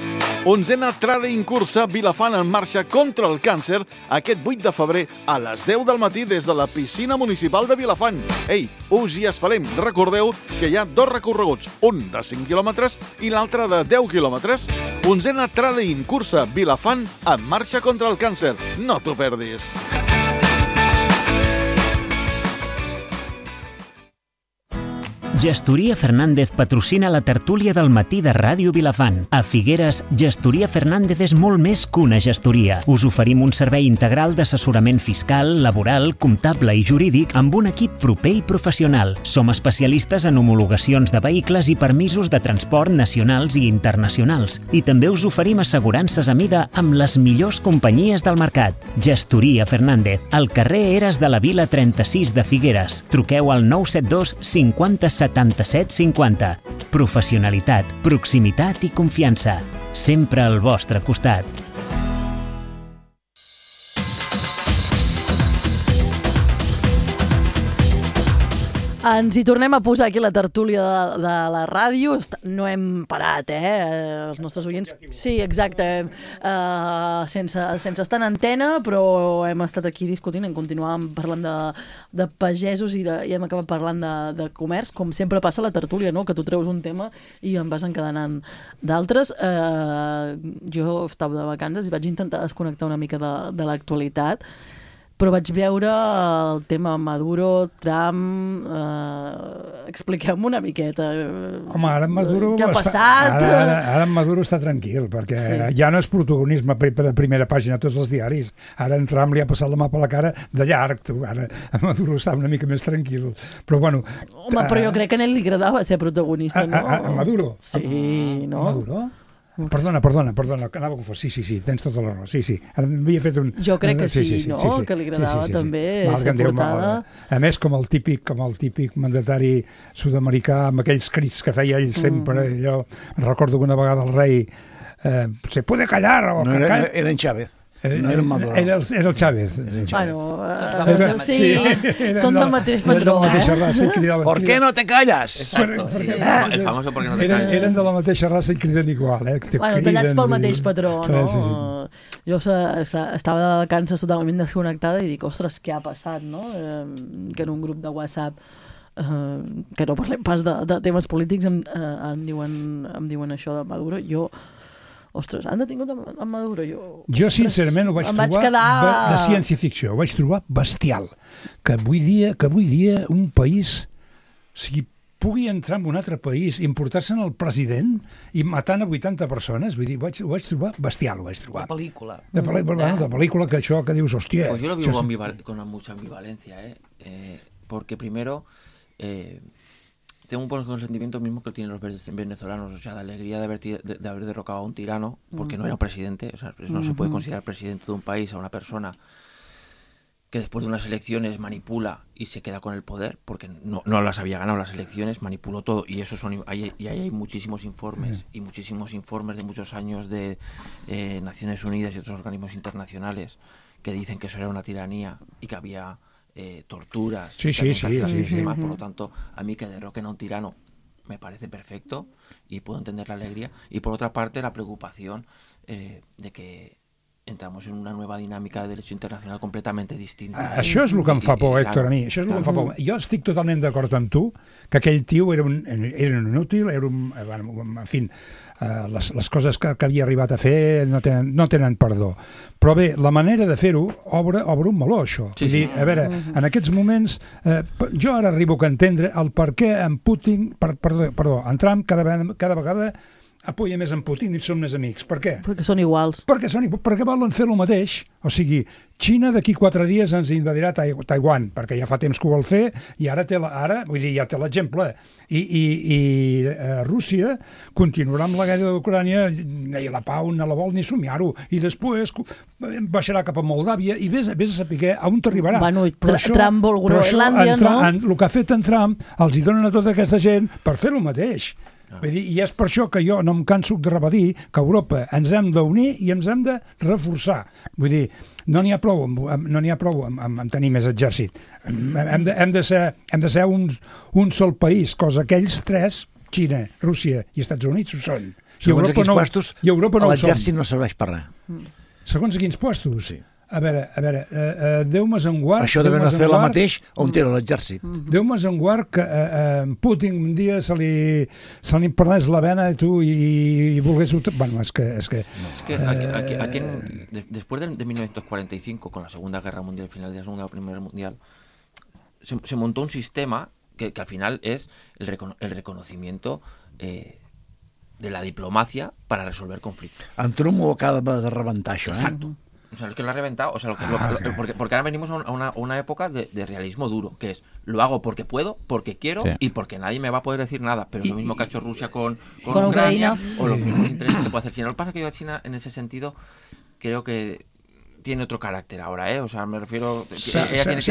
onzena Trade-in cursa Vilafant en marxa contra el càncer aquest vuit de febrer a les deu del matí des de la piscina municipal de Vilafant. Ei, us hi esperem. Recordeu que hi ha dos recorreguts, un de cinc quilòmetres i l'altre de deu quilòmetres. Onzena Trade-in cursa Vilafant en marxa contra el càncer. No t'ho perdis. Gestoria Fernández patrocina la tertúlia del matí de Ràdio Vilafant. A Figueres, Gestoria Fernández és molt més que una gestoria. Us oferim un servei integral d'assessorament fiscal, laboral, comptable i jurídic amb un equip proper i professional. Som especialistes en homologacions de vehicles i permisos de transport nacionals i internacionals. I també us oferim assegurances a mida amb les millors companyies del mercat. Gestoria Fernández, al carrer Eres de la Vila trenta-sis de Figueres. Truqueu al nou set dos cinquanta setanta-set cinquanta. Professionalitat, proximitat i confiança. Sempre al vostre costat. Ens hi tornem a posar aquí la tertúlia de, de la ràdio. No hem parat, eh? Els nostres oients... Sí, exacte. Uh, sense, sense estar en antena, però hem estat aquí discutint, hem continuat parlant de, de pagesos i, de, i hem acabat parlant de, de comerç, com sempre passa a la tertúlia, no? Que tu treus un tema i en vas encadenant d'altres. Uh, jo estava de vacances i vaig intentar desconnectar una mica de, de l'actualitat, però vaig veure el tema Maduro, Trump... Eh, expliqueu-me una miqueta. Home, ara en Maduro... Què ha està, passat? Ara, ara, ara en Maduro està tranquil, perquè sí. Ja no és protagonisme de primera pàgina a tots els diaris. Ara en Trump li ha passat la mà per la cara de llarg. Tu. Ara en Maduro està una mica més tranquil. Però bueno... Home, però jo crec que a ell li agradava ser protagonista, no? A, a, a Maduro? Sí, no? A Maduro? Perdona, perdona, perdona, que anava a confós. Sí, sí, sí, tens tota la raó. Sí, sí. Havia fet un... Jo crec que sí, sí, sí no? Sí, sí. Que li agradava sí, sí, sí, també sí. Ser portada. A més, com el típic, com el típic mandatari sud-americà, amb aquells crits que feia ell sempre, mm. jo recordo que una vegada el rei eh, se puede callar o... No, era, era en Chávez. No era Maduro. Era el, era el Chávez. Bueno, uh, era, sí, era, són del mateix patró, eh? Raça, ¿Por qué no te callas? Exacto, sí. Ah, el famoso ¿por qué no te callas? Eren, eren de la mateixa raça i criden igual, eh? Te bueno, tallats pel mateix patró, no? Sí, sí. Jo estava de vacances totalment desconnectada i dic, ostres, què ha passat, no? Eh, que en un grup de WhatsApp eh, que no parlem pas de, de temes polítics em, eh, em, diuen, em diuen això de Maduro. Jo ostres, han detingut en Maduro. Jo, jo sincerament ho vaig trobar vaig quedar... de ciència-ficció, ho vaig trobar bestial. Que avui dia, que avui dia un país o sigui, pugui entrar en un altre país, importar-se en el president i matant a vuitanta persones, vull dir, ho vaig, ho vaig trobar bestial, ho vaig trobar. De pel·lícula. De pel·lícula, mm. de pel·lícula que això que dius, hòstia... Pues yo lo vivo això... ambival con mucha ambivalencia, ¿eh? Eh, porque primero... Eh, tengo un poco el sentimiento mismo que tienen los venezolanos, o sea, de alegría de haber, de, de haber derrocado a un tirano, porque no era presidente, o sea, no se puede considerar presidente de un país a una persona que después de unas elecciones manipula y se queda con el poder, porque no, no las había ganado las elecciones, manipuló todo, y eso son hay, y ahí hay muchísimos informes, y muchísimos informes de muchos años de eh, Naciones Unidas y otros organismos internacionales que dicen que eso era una tiranía y que había... Eh, torturas, sí, sí, sí, sí, sí. Demás. Por lo tanto, a mí que derroquen a un tirano me parece perfecto y puedo entender la alegría. Y por otra parte, la preocupación eh, de que entramos en una nueva dinámica de derecho internacional completamente distinta. Això és el que em fa por, Héctor, a mi. Això és el que em fa por. Jo estic totalment d'acord amb tu que aquell tio era un, era un inútil, era un... En fi, Uh, les, les coses que, que havia arribat a fer no tenen, no tenen perdó. Però bé, la manera de fer-ho obre, obre un meló, això. Sí, sí. Dir, a veure, en aquests moments eh, jo ara arribo a entendre el per què en Putin, per, perdó, perdó, en Trump cada vegada, cada vegada apoya més en Putin i som més amics. Per què? Perquè són iguals. Perquè, són, perquè volen fer el mateix. O sigui, Xina d'aquí quatre dies ens invadirà Taiwan, perquè ja fa temps que ho vol fer, i ara té la, ara, vull dir, ja té l'exemple. I, i, i eh, Rússia continuarà amb la guerra d'Ucrània, ni la pau no la vol ni somiar-ho, i després baixarà cap a Moldàvia, i vés, vés a saber a on t'arribarà. Bueno, tra això, Trump vol Groenlàndia, no? En, el que ha fet en Trump els hi donen a tota aquesta gent per fer el mateix. Ah. Vull dir, I és per això que jo no em canso de repetir que Europa ens hem d'unir i ens hem de reforçar. Vull dir, no n'hi ha prou, amb, no n'hi ha prou amb, amb, amb tenir més exèrcit. Hem de, hem de ser, hem de ser un, un sol país, cosa que ells tres, Xina, Rússia i Estats Units, ho són. I Segons quins no, puestos, i Europa no l'exèrcit no serveix per res. Segons quins puestos? Sí. A veure, a veure, uh, uh, Déu-me's en guard... Això devem fer la mateix on era l'exèrcit. Déu-me's en guard que uh, uh, Putin un dia se li, se li prenés la vena i tu i, i volgués... Bueno, és que... És que, no. es que aquí, aquí, aquí en, de, después de, de mil novecientos cuarenta y cinco, con la Segunda Guerra Mundial, final de la Segunda Guerra Mundial, se, se montó un sistema que, que al final es el, recono, el reconocimiento... Eh, de la diplomacia para resolver conflictos. En Trump ho acaba de rebentar, això, eh? Exacto. O sea, es que lo ha reventado. O sea, lo que, lo, lo, porque, porque ahora venimos a una, una época de, de realismo duro, que es lo hago porque puedo, porque quiero sí. y porque nadie me va a poder decir nada. Pero es lo mismo que ha hecho Rusia con, con, con Ucrania, Ucrania o los mismos intereses que puede hacer China. Lo que pasa es que yo a China, en ese sentido, creo que tiene otro carácter ahora, ¿eh? O sea, me refiero... Se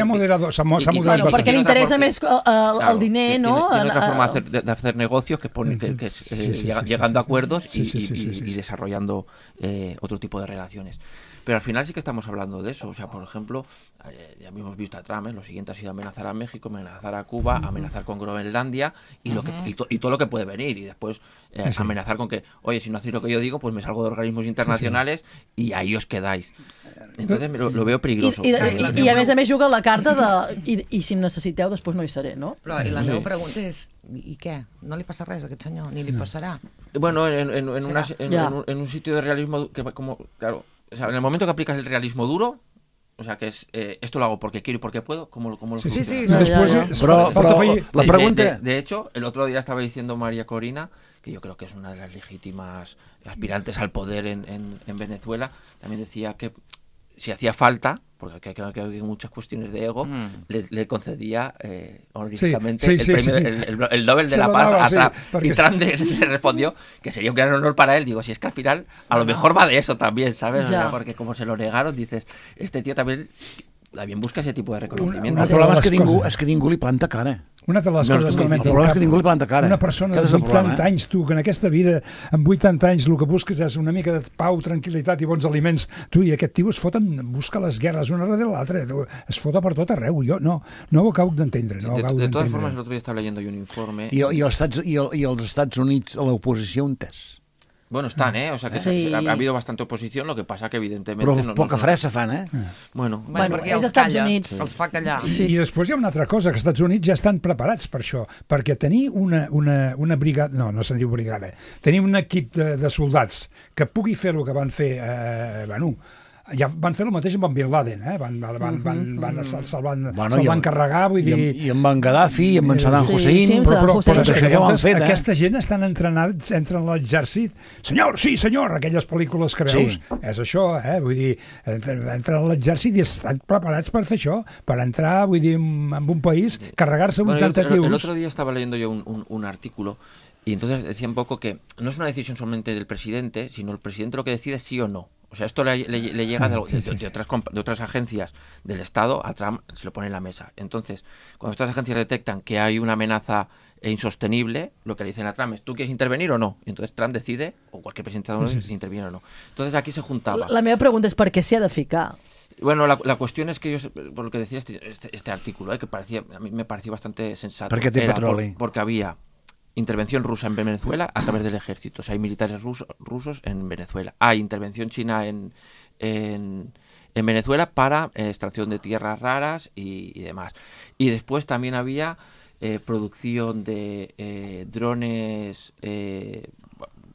ha moderado, se ha moderado. Bueno, perquè li interessa més el, el, el diner, ¿no? Tiene, tiene otra forma de hacer, de, de hacer negocios que, pone, que, que es sí, sí, sí, llegando a acuerdos y, sí, sí, sí, sí, sí. y, y desarrollando eh, otro tipo de relaciones. Pero al final sí que estamos hablando de eso. O sea, por ejemplo, eh, ya hemos visto a Trump, ¿eh? Lo siguiente ha sido amenazar a México, amenazar a Cuba, uh-huh. amenazar con Groenlandia y, lo que, y, to, y todo lo que puede venir. Y después eh, sí. amenazar con que, oye, si no hacéis lo que yo digo, pues me salgo de organismos internacionales sí, sí. y ahí os quedáis. Entonces lo, lo veo peligroso. I, i, i, i a més a més juga la carta de i, i si em necessiteu després no hi seré, no? Però i la meva pregunta és, i què? No li passa res a aquest senyor? Ni li passarà? Bueno, en, en, en, una, en, en, un, en un sitio de realismo que como, claro, o sea, en el momento que aplicas el realismo duro, o sea, que es, eh, esto lo hago porque quiero y porque puedo, ¿cómo lo cómo lo Sí, sí, sí. No, Después, ya, ya. Pero, pero la pregunta... De, de, de hecho, el otro día estaba diciendo María Corina, que yo creo que es una de las legítimas aspirantes al poder en, en, en Venezuela, también decía que si hacía falta, porque hay, hay, hay muchas cuestiones de ego, mm. le, le concedía eh, honoríficamente sí, sí, el, sí, premio, sí. El, el, el Nobel de Se la Paz daba, a Trump. Sí, porque... Y Trump le respondió que sería un gran honor para él. Digo, si es que al final a lo mejor va de eso también, ¿sabes? O sea, porque como se lo negaron, dices, este tío también, también busca ese tipo de reconocimiento. El problema és que, ningú, és que ningú li planta cara. Una de les no, coses que el problema és que ningú li planta cara. Una persona de vuitanta eh? anys, tu, que en aquesta vida, amb vuitanta anys, el que busques és una mica de pau, tranquil·litat i bons aliments. Tu, i aquest tio es foten, busca les guerres una darrere l'altra, es fota per tot arreu. Jo no, no ho acabo d'entendre. No de, de, de todas formas, el otro día estaba leyendo yo un informe... I, i, els Estats, i, el, i els Estats Units a l'oposició on és? Bueno, están, ¿eh? O sea, que sí. ha, ha habido bastante oposición, lo que pasa que evidentemente... Però no, poca no, fressa fan, eh? Bueno, bueno, bueno perquè els Estats calla, Units els fa callar. Sí. I després hi ha una altra cosa, que els Estats Units ja estan preparats per això, perquè tenir una, una, una brigada... No, no se'n diu brigada. Tenir un equip de, de soldats que pugui fer el que van fer... Eh, bueno, ja van fer el mateix amb en Bin Laden, eh? Van, van, van, van, van, se'l se van, bueno, se van carregar, vull dir... I amb en Gaddafi, i amb en Saddam Hussein... Sí, sí, però, però, Hussein. però això ja ho han fet, eh? Aquesta gent estan entrenats, entren a l'exèrcit. Senyor, sí, senyor, aquelles pel·lícules que veus. Sí. És això, eh? Vull dir, entren a l'exèrcit i estan preparats per fer això, per entrar, vull dir, en un país, carregar-se bueno, vuitanta tios. El otro día estaba leyendo yo un, un, un artículo y entonces decía un poco que no es una decisión solamente del presidente, sino el presidente lo que decide es sí o no. O sea, esto le, le, le llega de, de, de, de, otras, de otras agencias del Estado, a Trump se lo pone en la mesa. Entonces, cuando estas agencias detectan que hay una amenaza insostenible, lo que le dicen a Trump es, ¿tú quieres intervenir o no? Y entonces Trump decide, o cualquier presidente de Estados Unidos, si interviene o no. Entonces aquí se juntaba. La, la meva pregunta és per què s'hi ha de ficar? Bueno, la, la cuestión es que yo, por lo que decía este, este, este artículo, eh, que parecía, a mí me pareció bastante sensato. ¿Por qué te petróleo? Por, porque había intervención rusa en Venezuela a través del ejército. O sea, hay militares rusos, rusos en Venezuela. Hay intervención china en, en, en Venezuela para eh, extracción de tierras raras y, y demás. Y después también había eh, producción de eh, drones eh,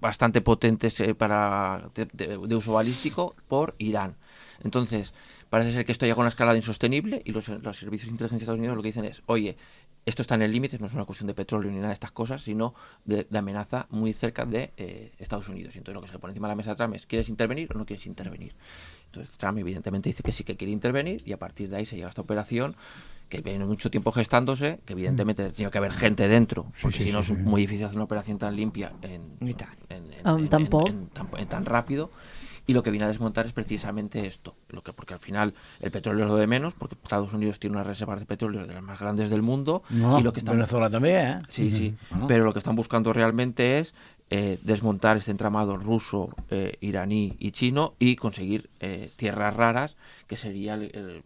bastante potentes eh, para de, de, de uso balístico por Irán. Entonces, parece ser que esto llega a una escalada insostenible y los, los servicios de inteligencia de Estados Unidos lo que dicen es, oye, esto está en el límite, no es una cuestión de petróleo ni nada de estas cosas, sino de, de amenaza muy cerca de eh, Estados Unidos. Y entonces lo que se le pone encima de la mesa a Trump es, ¿quieres intervenir o no quieres intervenir? Entonces Trump evidentemente dice que sí que quiere intervenir y a partir de ahí se llega a esta operación que viene mucho tiempo gestándose, que evidentemente tiene que haber gente dentro, porque sí, sí, si no sí, es muy difícil hacer una operación tan limpia en, en, en, en, um, en, tampoc. en, en, tan, en tan rápido. y lo que viene a desmontar es precisamente esto, lo que, porque al final el petróleo es lo de menos, porque Estados Unidos tiene unas reservas de petróleo de las más grandes del mundo. No, y lo que están... Venezuela també, eh? Sí, sí, uh-huh. pero lo que están buscando realmente es eh, desmontar este entramado ruso, eh, iraní y chino y conseguir eh, tierras raras, que sería el, el,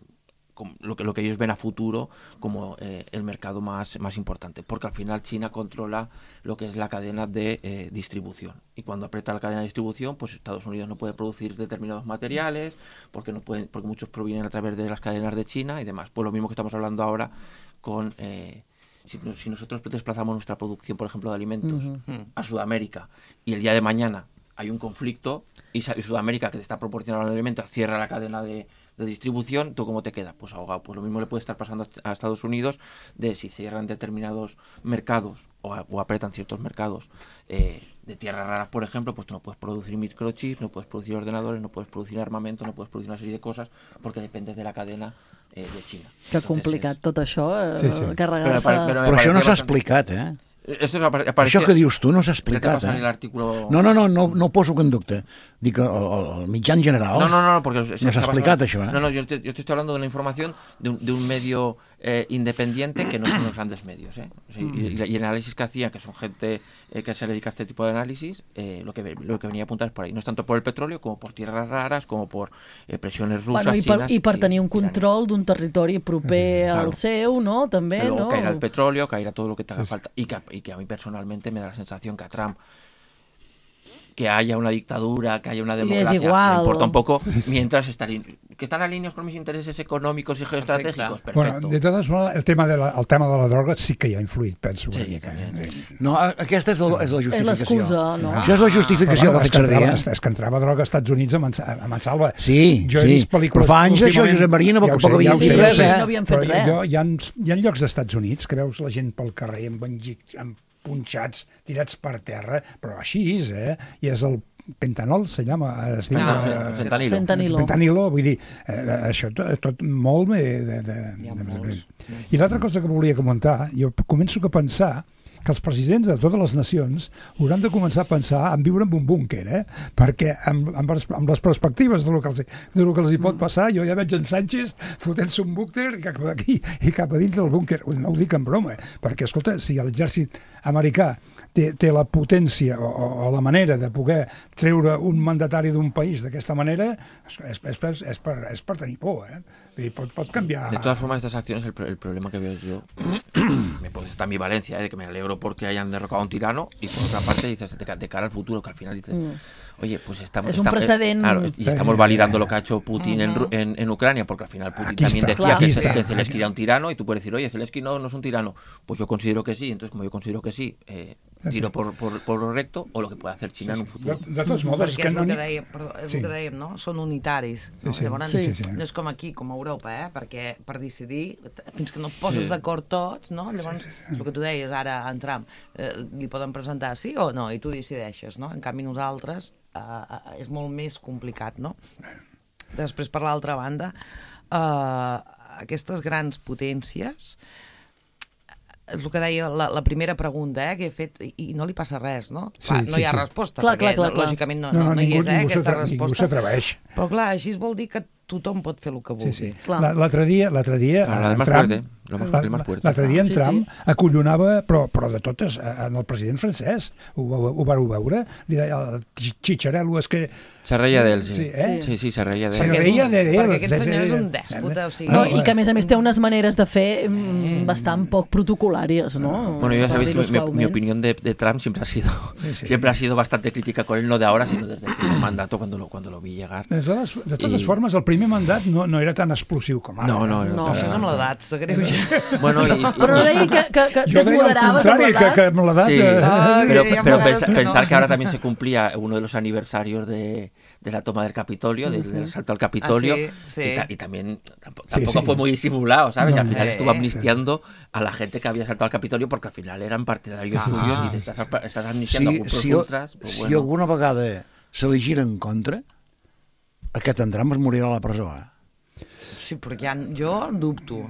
lo, que, lo que ellos ven a futuro como eh, el mercado más, más importante, porque al final China controla lo que es la cadena de eh, distribución, y cuando aprieta la cadena de distribución, pues Estados Unidos no puede producir determinados materiales porque no pueden, porque muchos provienen a través de las cadenas de China y demás. Pues lo mismo que estamos hablando ahora con eh, si, si nosotros desplazamos nuestra producción, por ejemplo, de alimentos uh-huh. a Sudamérica, y el día de mañana hay un conflicto y Sudamérica, que te está proporcionando el alimento, cierra la cadena de de distribución, ¿tú cómo te quedas? Pues ahogado. Pues lo mismo le puede estar pasando a Estados Unidos, de si cierran determinados mercados o, a, o apretan ciertos mercados eh, de tierras raras, por ejemplo, pues tú no puedes producir microchips, no puedes producir ordenadores, no puedes producir armamento, no puedes producir una serie de cosas porque dependes de la cadena eh, de China. Que complicat és... tot això, eh, sí, sí. carregar-se... Però, però, però això no s'ha explicat, eh? Esto es aparece... Això que dius tu no s'ha explicat, eh? No, no, no, no, no ho poso en dubte. Dic, el, el mitjà en general no, no, no, porque no s'ha explicat, basado... això, eh? No, no, yo te, yo te estoy hablando de una información de un, de un medio eh, independiente que no son los grandes medios, ¿eh? O sea, mm. y, y el análisis que hacían, que son gente eh, que se dedica a este tipo de análisis, eh, lo, que, lo que venía a apuntar es por ahí. No es tanto por el petróleo como por tierras raras, como por eh, presiones rusas, bueno, i per, chinas... I per tenir un control d'un territori proper claro. al seu, no? També, Pero no? caerá el petróleo, caerá todo lo que te haga sí, falta. Y que, y que a mí personalmente me da la sensación que a Trump, que haya una dictadura, que haya una democracia, me importa un poco, sí, sí. mientras está que están alineados con mis intereses econòmics i geoestratègics, perfecte. Bueno, de totes maneres, el tema de la, el tema de la droga sí que hi ha influït, penso. Sí, una mica, eh? No, aquesta és, el, és la justificació. És l'excusa, no? Això és la justificació ah, que ha fet servir. És, és que entrava droga als Estats Units a, Mansa, a Mansalva. Sí, jo sí. Però fa anys d'això, Josep Maria, no, ja poc havien dit res, eh? No havien fet res. Jo, hi, ha, hi ha llocs d'Estats Units que veus la gent pel carrer amb, amb punxats, tirats per terra, però així és, eh? I és el pentanol, se llama, es diu... Ah, eh, fentanilo. Fentanilo. Fentanilo, vull dir, eh, això tot, tot molt... De, de, de, de, I l'altra cosa que volia comentar, jo començo a pensar que els presidents de totes les nacions hauran de començar a pensar en viure en un búnquer, eh? Perquè amb, amb, les, amb les perspectives de lo, que els, de lo que els hi pot passar, jo ja veig en Sánchez fotent-se un búnquer cap d'aquí i cap a dins del búnquer. No ho dic en broma, perquè, escolta, si l'exèrcit americà té, té la potència o, o la manera de poder treure un mandatari d'un país d'aquesta manera, és, és, és, és, per, és per tenir por, eh? Y pot, pot cambiar. De todas formas, estas acciones, el, el problema que veo yo, me puede estar ambivalencia, ¿eh? De que me alegro porque hayan derrocado a un tirano, y por otra parte dices, de, de cara al futuro, que al final dices, mm. oye, pues estamos... Es un estamos precedente. Eh, claro, y estamos validando lo que ha hecho Putin uh-huh. en, en, en Ucrania, porque al final Putin aquí también está, decía claro. que, que Zelensky era un tirano, y tú puedes decir, oye, Zelensky no, no es un tirano. Pues yo considero que sí, entonces como yo considero que sí, eh, tiro por, por, por lo recto, o lo que puede hacer China sí, sí. en un futuro. De, de tots modos, perquè és, no... el que deia, perdó, és sí. el que dèiem, no? Són unitaris. No? Sí, sí. Llavors, sí, sí, sí. no és com aquí, com a Europa, eh? Perquè per decidir, fins que no et poses sí. d'acord tots, no? Llavors, sí, sí, sí. el que tu deies ara en Trump, eh, li poden presentar sí o no, i tu decideixes, no? En canvi, nosaltres eh, eh, és molt més complicat, no? Després, per l'altra banda, eh, aquestes grans potències... És el que deia la, la primera pregunta, eh, que he fet, i, i no li passa res, no? Sí, clar, sí, no hi ha sí. resposta, clar, perquè clar, clar, lògicament no, no, no, no, no ningú, hi és, eh, ningú aquesta resposta. Ningú resposta. Però clar, així vol dir que tothom pot fer el que vulgui. Sí, sí. L'altre dia, l'altre dia, la en Trump, l'altre dia en sí, Trump sí. acollonava, però, però de totes, en el president francès, ho, ho, ho vareu veure? Li deia, el Chicharello, és que... Se reia d'ell, sí. Sí, eh? sí, sí, se reia d'ell. Se reia d'ell. Perquè aquest senyor és un dèspota, o sigui... No, i que a més a més té unes maneres de fer mm, bastant poc protocolàries, ¿no? Bueno, ya sabéis que mi, mi opinión de, de Trump siempre ha sido sí, sí. siempre ha sido bastante crítica con él, no de ahora, sino desde el primer mandato cuando lo, cuando lo vi llegar. De totes, de totes I... formes, el primer mandat no, no era tan explosiu com ara. No, no, no. No, això és amb l'edat, se greu ja. Bueno, i, i, però no deia que, que, que jo et moderaves amb l'edat. Que, que amb l'edat... Sí, ah, pero, ja pero pensar, no. pensar no. que ahora también se cumplía uno de los aniversarios de, de la toma del Capitolio, del, del asalto al Capitolio, ah, sí, sí. Y, ta, y también tampoco, sí, tampoco sí. fue muy disimulado, ¿sabes? No, y al final eh, estuvo amnistiando a la gente que había asaltado al Capitolio porque al final eran partidarios ah, suyos ah, y se estás, estás amnistiando si, a grupos si, ultras. Pues si bueno. alguna vegada se li gira en contra, aquest en Trump es morirà a la presó, eh? Sí, perquè ja, jo dubto.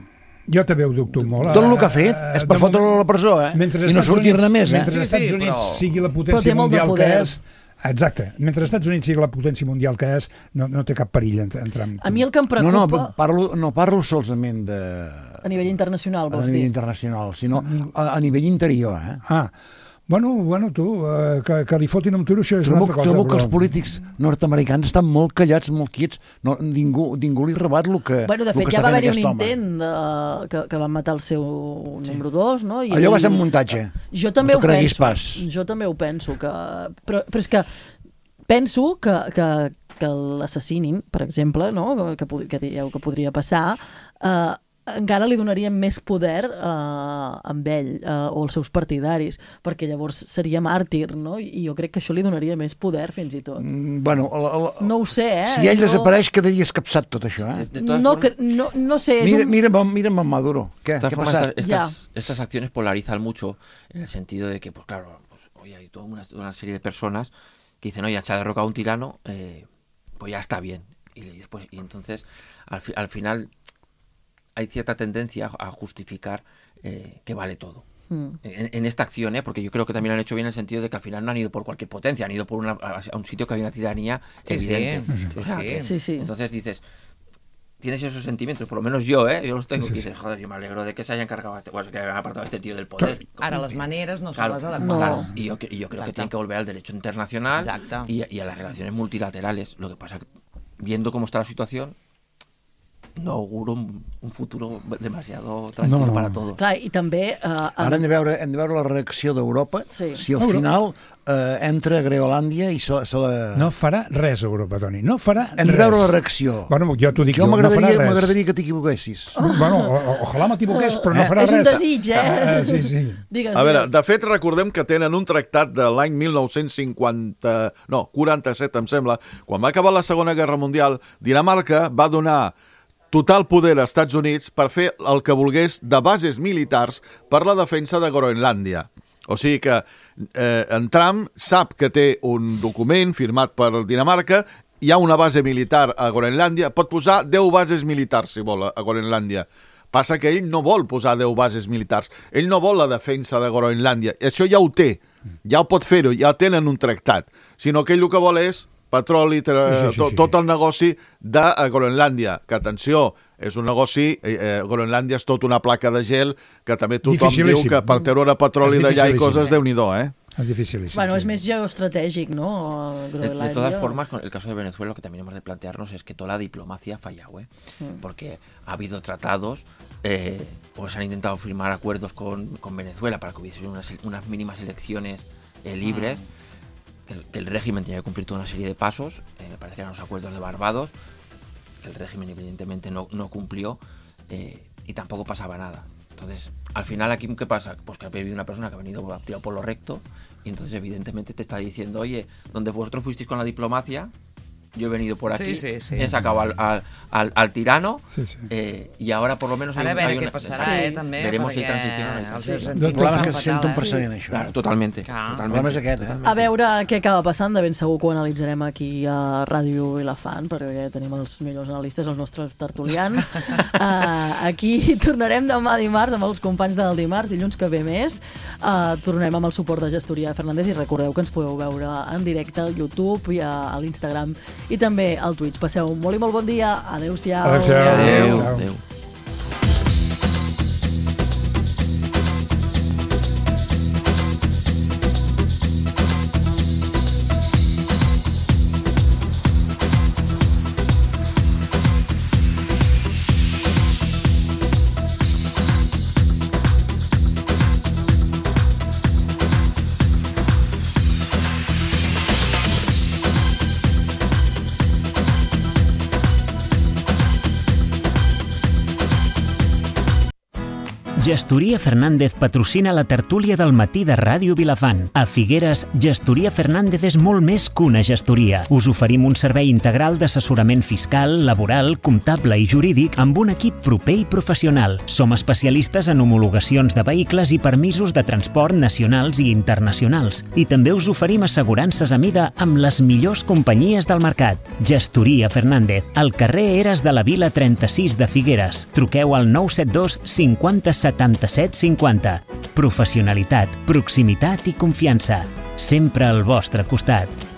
Jo també ho dubto molt. Tot el que ha fet és per fotre-lo a la presó, eh? I no sortir-ne més, eh? Mentre els Estats sí, Units però... sigui la potència mundial que és, Exacte. Mentre els Estats Units sigui la potència mundial que és, no, no té cap perill entrar en... A mi el que em preocupa... No, no, parlo, no parlo solament de... A nivell internacional, vols dir? A nivell dir? internacional, sinó a, a nivell interior, eh? Ah, bueno, bueno tu, eh, que, que li fotin un tiro, això és trobo, una altra cosa. Trobo però... que els polítics nord-americans estan molt callats, molt quiets, no, ningú, ningú li rebat el que, bueno, de fet, que ja està va fent haver-hi aquest un home. intent de, que, que van matar el seu número dos, no? I allò ell... va ser un muntatge. Jo també no ho penso. Pas. Jo també ho penso, que... Però, però és que penso que, que, que l'assassinin, per exemple, no? que, que dieu que podria passar, eh, encara li donaria més poder eh, amb ell eh, o als seus partidaris, perquè llavors seria màrtir, no? I jo crec que això li donaria més poder fins i tot. Mm, bueno, la, la, no ho sé, eh? Si ell no... desapareix, quedaria escapçat tot això, eh? De, de no, formas... no, no sé... Mira, un... mira, mira amb Maduro. ¿Qué, ¿Qué formas, pasa? Estas, estas, ya. estas acciones polarizan mucho en el sentido de que, pues claro, pues, oye, hay toda una, una serie de personas que dicen, oye, se ha derrocado a un tirano, eh, pues ya está bien. Y, después, y entonces, al, fi, al final... hay cierta tendencia a justificar eh, que vale todo. Mm. En, en esta acción, ¿eh? Porque yo creo que también lo han hecho bien en el sentido de que al final no han ido por cualquier potencia, han ido por una, a un sitio que hay una tiranía sí, evidente. Sí, sí, sí. Sí, sí, sí. Entonces dices, tienes esos sentimientos, por lo menos yo, ¿eh? Yo los tengo, sí, sí, y dices, joder, yo me alegro de que se hayan cargado, este, bueno, que hayan apartado a este tío del poder. Ara les maneres no claro, són les adequades. No. Y yo, y yo creo Exacte. que tienen que volver al derecho internacional y, y a las relaciones multilaterales. Lo que pasa que, viendo cómo está la situación, no auguro un, un futuro demasiado tranquil no, no. para todos. Clar, i també... Uh, Ara hem de veure, hem de veure la reacció d'Europa, sí. si al final uh, entra a Groenlàndia i se, se la... No farà res, Europa, Toni, no farà hem res. Hem de veure la reacció. Bueno, jo t'ho dic, jo, jo m'agradaria, no m'agradaria que t'equivoquessis. Oh. Bueno, o, o, ojalà m'equivoqués, però no farà eh? res. És un desig, eh? Ah, sí, sí. Digues, a veure, de fet, recordem que tenen un tractat de l'any mil nou-cents cinquanta... No, quaranta-set, em sembla. Quan va acabar la Segona Guerra Mundial, Dinamarca va donar total poder als Estats Units per fer el que volgués de bases militars per la defensa de Groenlàndia. O sigui que eh, en Trump sap que té un document firmat per Dinamarca, hi ha una base militar a Groenlàndia, pot posar deu bases militars, si vol, a Groenlàndia. Passa que ell no vol posar deu bases militars, ell no vol la defensa de Groenlàndia, això ja ho té, ja ho pot fer-ho, ja tenen un tractat, sinó que ell el que vol és petroli, sí, sí, sí, tot, sí. tot el negoci de Groenlàndia, que atenció, és un negoci, eh, Groenlàndia és tot una placa de gel, que també tothom diu que per treure petroli d'allà i coses, Déu-n'hi-do, eh? Es dificilísimo. Bueno, sí. es más geoestratégico, ¿no? De, de todas formas, con el caso de Venezuela, lo que también hemos de plantearnos es que toda la diplomacia ha fallado, ¿eh? Mm. Porque ha habido tratados, eh, pues han intentado firmar acuerdos con, con Venezuela para que hubiese unas, unas mínimas elecciones eh, libres. Mm. Que el, que el régimen tenía que cumplir toda una serie de pasos, eh, me parece que eran los acuerdos de Barbados, que el régimen evidentemente no, no cumplió, eh, y tampoco pasaba nada. Entonces, al final aquí, ¿qué pasa? Pues que ha vivido una persona que ha venido tirado por lo recto, y entonces evidentemente te está diciendo, oye, donde vosotros fuisteis con la diplomacia, yo he venido por aquí, sí, sí, sí. he sacado al, al, al, al tirano, sí, sí. Eh, y ahora por lo menos hay, hay una... Passarà, sí, eh, també, veremos si hay transición o no hay transición. El problema és que se sent un precedent, això. Claro, totalmente. Clar. El problema és aquest, eh? A veure què acaba passant, de ben segur que ho analitzarem aquí a Ràdio Vilafant, perquè tenim els millors analistes, els nostres tertulians. uh, aquí tornarem demà dimarts amb els companys del dimarts, dilluns que ve més. Uh, tornem amb el suport de Gestoria Fernández i recordeu que ens podeu veure en directe al YouTube i a, a l'Instagram i també al Twitch. Passeu un molt i molt bon dia. Adéu-siau. Adéu-siau. Adéu. Adéu. Gestoria Fernández patrocina la tertúlia del matí de Ràdio Vilafant. A Figueres, Gestoria Fernández és molt més que una gestoria. Us oferim un servei integral d'assessorament fiscal, laboral, comptable i jurídic amb un equip proper i professional. Som especialistes en homologacions de vehicles i permisos de transport nacionals i internacionals. I també us oferim assegurances a mida amb les millors companyies del mercat. Gestoria Fernández, al carrer Eres de la Vila trenta-sis de Figueres. Truqueu al nou set dos cinquanta setanta-set cinquanta. Professionalitat, proximitat i confiança. Sempre al vostre costat.